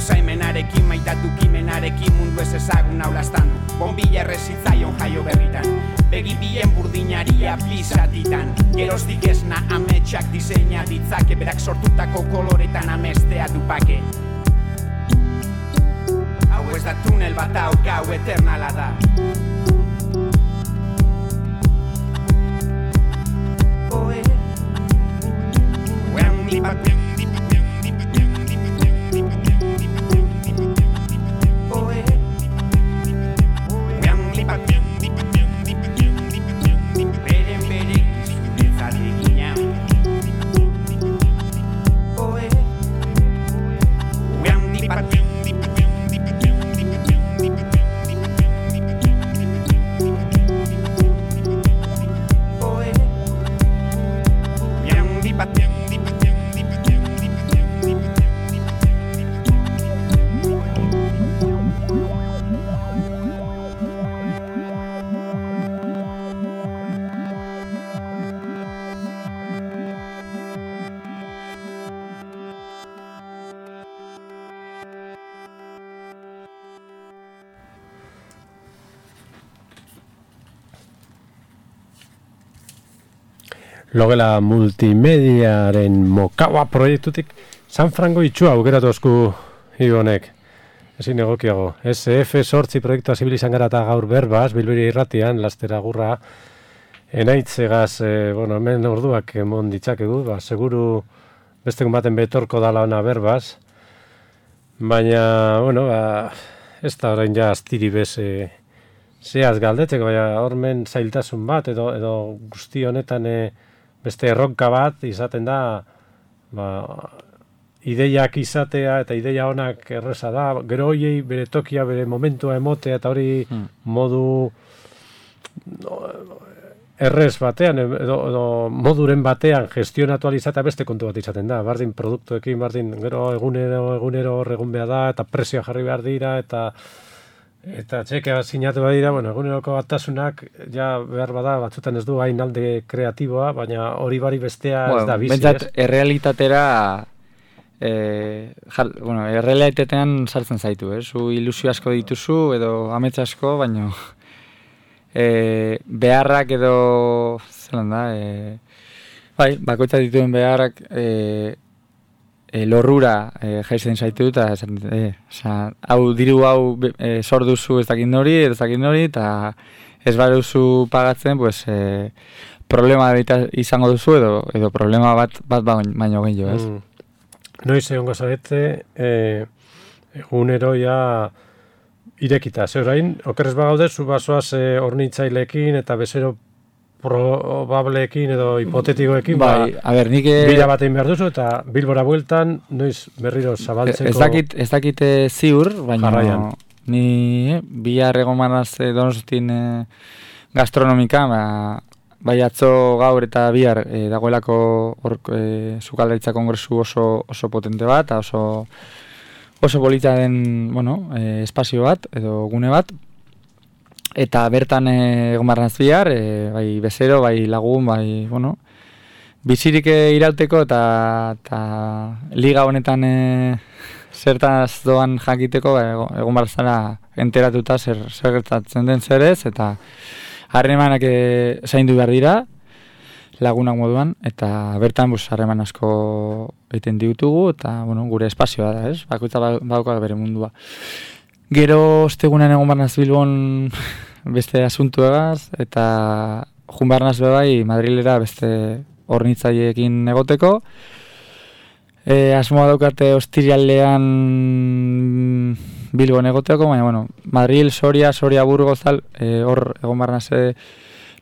Usaimenarekin, maitatu kimenarekin mundu ez ezagun naulaztan du. Bombilla errezitzaion jaio berritan, begi bien burdinaria bizatitan. Geroztik esna ametsak diseina ditzake, berak sortutako koloretan amestea dupake. Hau ez da tunel bat hau gau eternala da. Oe, uean lipat Logela multimediaren Mokawa proiektutik San Frango itxua aukeratu osku honek. Ezin egokiago. S F sortzi proiektua zibil izan gara eta gaur berbaz, Bilbiri irratian, lastera gurra, enaitzegaz, e, bueno, hemen orduak emon ditzakegu, ba, seguru beste baten betorko dala ona berbaz, baina, bueno, ba, ez da orain ja astiri bez e, zehaz galdetzeko, baina hormen zailtasun bat, edo, edo guzti honetan e, beste erronka bat izaten da, ba, ideiak izatea eta ideia onak erreza da, gero hoiei bere tokia, bere momentua emotea eta hori hmm. modu no, errez batean, edo, edo moduren batean gestionatu alizatea beste kontu bat izaten da, bardin produktuekin, bardin gero egunero, egunero hor egun behar da, eta presioa jarri behar dira, eta Eta txekea sinatu badira, bueno, eguneroko batasunak ja behar bada, batzutan ez du hain alde kreatiboa, baina hori bari bestea bueno, ez da bizi, bentsat, ez? Errealitatera, eh, jar, bueno, errealitatean sartzen zaitu, eh? Zu ilusio asko dituzu, edo amets asko, baina eh, beharrak edo, zelan da, eh, bai, bakoitza dituen beharrak, eh, E, lorrura e, jaizten zaitu eta e, hau diru hau e, sor duzu ez dakit nori, ez dakit nori, eta ez baduzu pagatzen, pues, e, problema izango duzu edo, edo problema bat bat baino gehiago, ez? Mm. Noiz egongo zarete, e, egunero ja irekita, ze orain, okerrez bagaude, zu basoaz e, hornitzailekin eta bezero probableekin edo hipotetikoekin, bai, ba, a ber, nik bila batein behar duzu, eta Bilbora bueltan, noiz berriro zabaltzeko... Ez dakit, ez dakit ziur, baina jarraian. Ni eh, bihar egon manaz eh, Donostian eh, gastronomika, ba, bai atzo gaur eta bihar eh, dagoelako hor eh, sukaldaritza kongresu oso, oso potente bat, oso, oso polita den, bueno, eh, espazio bat, edo gune bat, eta bertan egon barnaz bihar, e, bai bezero, bai lagun, bai, bueno, bizirik irauteko eta, eta liga honetan e, zertaz doan jakiteko, ba, egon barzara enteratuta zer, zer gertatzen den zerez, eta harremanak e, zaindu behar dira, lagunak moduan, eta bertan bus harreman asko egiten ditugu, eta bueno, gure espazioa da, ez? Bakoitza badauka bere mundua. Gero ostegunean egon barnaz Bilbon beste asuntuegaz, eta jun barnaz bebai Madrilera beste hornitzaileekin egoteko. E, asmoa daukate ostiralean Bilbon egoteko, baina bueno, Madril, Soria, Soria, Burgos, tal, e, hor egon barnaz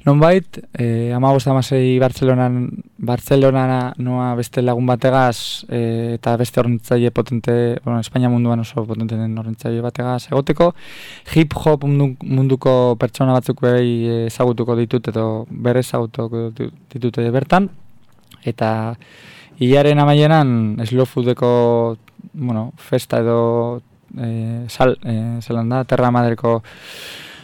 nonbait, eh, amagoz amasei Bartzelonan, Bartzelona noa beste lagun bategaz eh, eta beste hornitzaile potente, bueno, Espainia munduan oso potente den hornitzaile bategaz egoteko. Hip-hop mundu, munduko pertsona batzuk behi ezagutuko ditut edo berre ezagutuko ditut bertan. Eta hilaren amaieran slow foodeko, bueno, festa edo eh, sal, eh, zelan da, Terra Madreko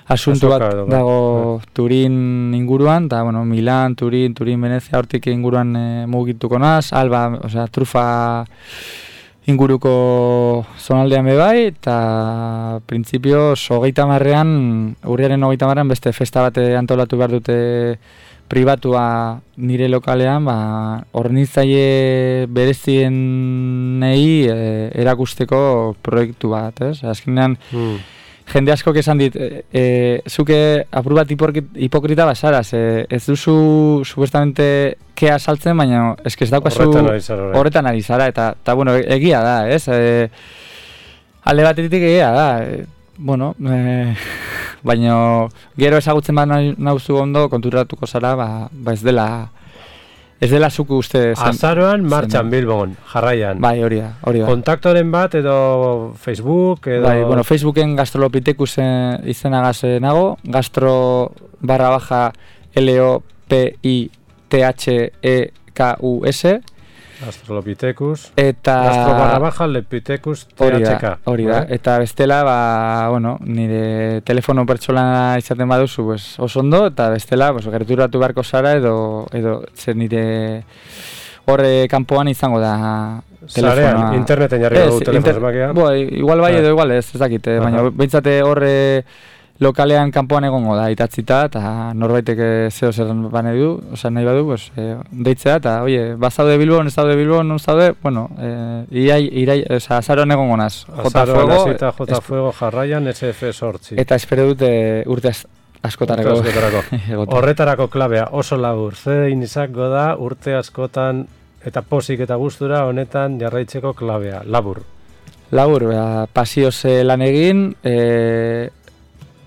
asuntu bat dago Turin inguruan, eta bueno, Milan, Turin, Turin, Venezia hortik inguruan e, mugituko naz, Alba, osea, trufa inguruko zonaldean bebai, eta printzipioz hogeita marrean, urriaren hogeita marrean beste festa bate antolatu behar dute pribatua nire lokalean, ba, hornitzaile berezienei e, erakusteko proiektu bat, ez? Azkenean, mm. jende askok esan dit, e, e, zuke apur bat hipokrita basara, ze ez duzu supuestamente kea saltzen, baina eske ez daukazu horretan ari zara, eta, eta bueno, egia da, ez? E, alde batetik egia da, e, bueno, e, baina gero ezagutzen bat nauzu ondo konturatuko zara, ba, ba ez dela... Ez dela zuku uste zen. Azaroan, martxan Bilbon, jarraian. Bai, hori da, hori da. Kontaktoren bat edo Facebook edo... Bai, bueno, Facebooken gastrolopitekus izenagaz nago, gastro barra baja L O P I T H E K U S. Gastrolopitekus. Eta... Gastro barra baja Lepitekus T H K. Hori da, eta bestela, ba, bueno, nire telefono pertsona izaten baduzu, pues, oso ondo, eta bestela, pues, gerturatu beharko zara, edo, edo, zer nire horre kanpoan izango da telefonoa. Zarean, interneten jarri dugu telefono zemakia. Bo, igual bai edo igual ez, ez dakit, baina behintzate horre lokalean kanpoan egongo da itatzita, eta norbaitek zeo zer bane du, oza, nahi badu, pues, e, deitzea, eta, oie, bazaude Bilbon, ez daude Bilbon, non zaude, bueno, e, irai, irai, oza, azaroan egongo naz. Azaroan azita J Fuego jarraian S F sortzi. Eta espero dute urte askotarako. Horretarako klabea oso labur, zein izango da urte askotan eta posik eta gustura honetan jarraitzeko klabea, labur. Labur, ba, pasioz lan egin, e,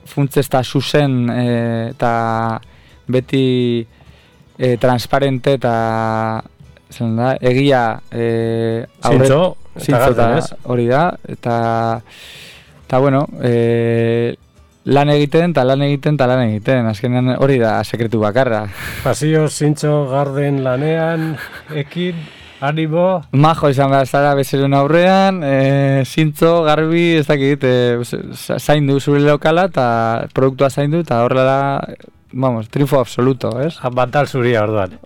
funtzez eta zuzen e, eta beti e, transparente eta da, egia e, zintzo, eta hori da, eta eta bueno, e, lan egiten eta lan egiten eta lan egiten, azkenean hori da sekretu bakarra. Pasio, zintzo, garden lanean, ekin, animo. Majo izan behar zara bezerun aurrean, e, zintzo, garbi, ez dakit, e, zaindu zure lokala eta produktua zaindu eta horrela, vamos, triunfo absoluto, ez? Bantal zuria orduan.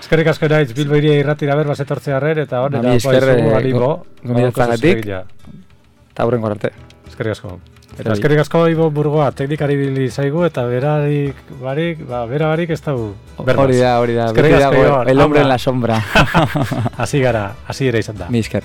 Eskerrik asko naiz, Bilbo iria irratira ber, bazetortzea arrer, eta hor, eta poizu, animo. Gomidatzagatik, eta hurrengo arte. Eskerrik asko. Eta eskerrik asko Ibo Burgoa, teknikari bili zaigu, eta berarik, barik, ba, bera barik ez dago berbaz. Hori da, hori da, beti dago el hombre en la sombra. Hasi gara, hasi ere izan da. Mi esker.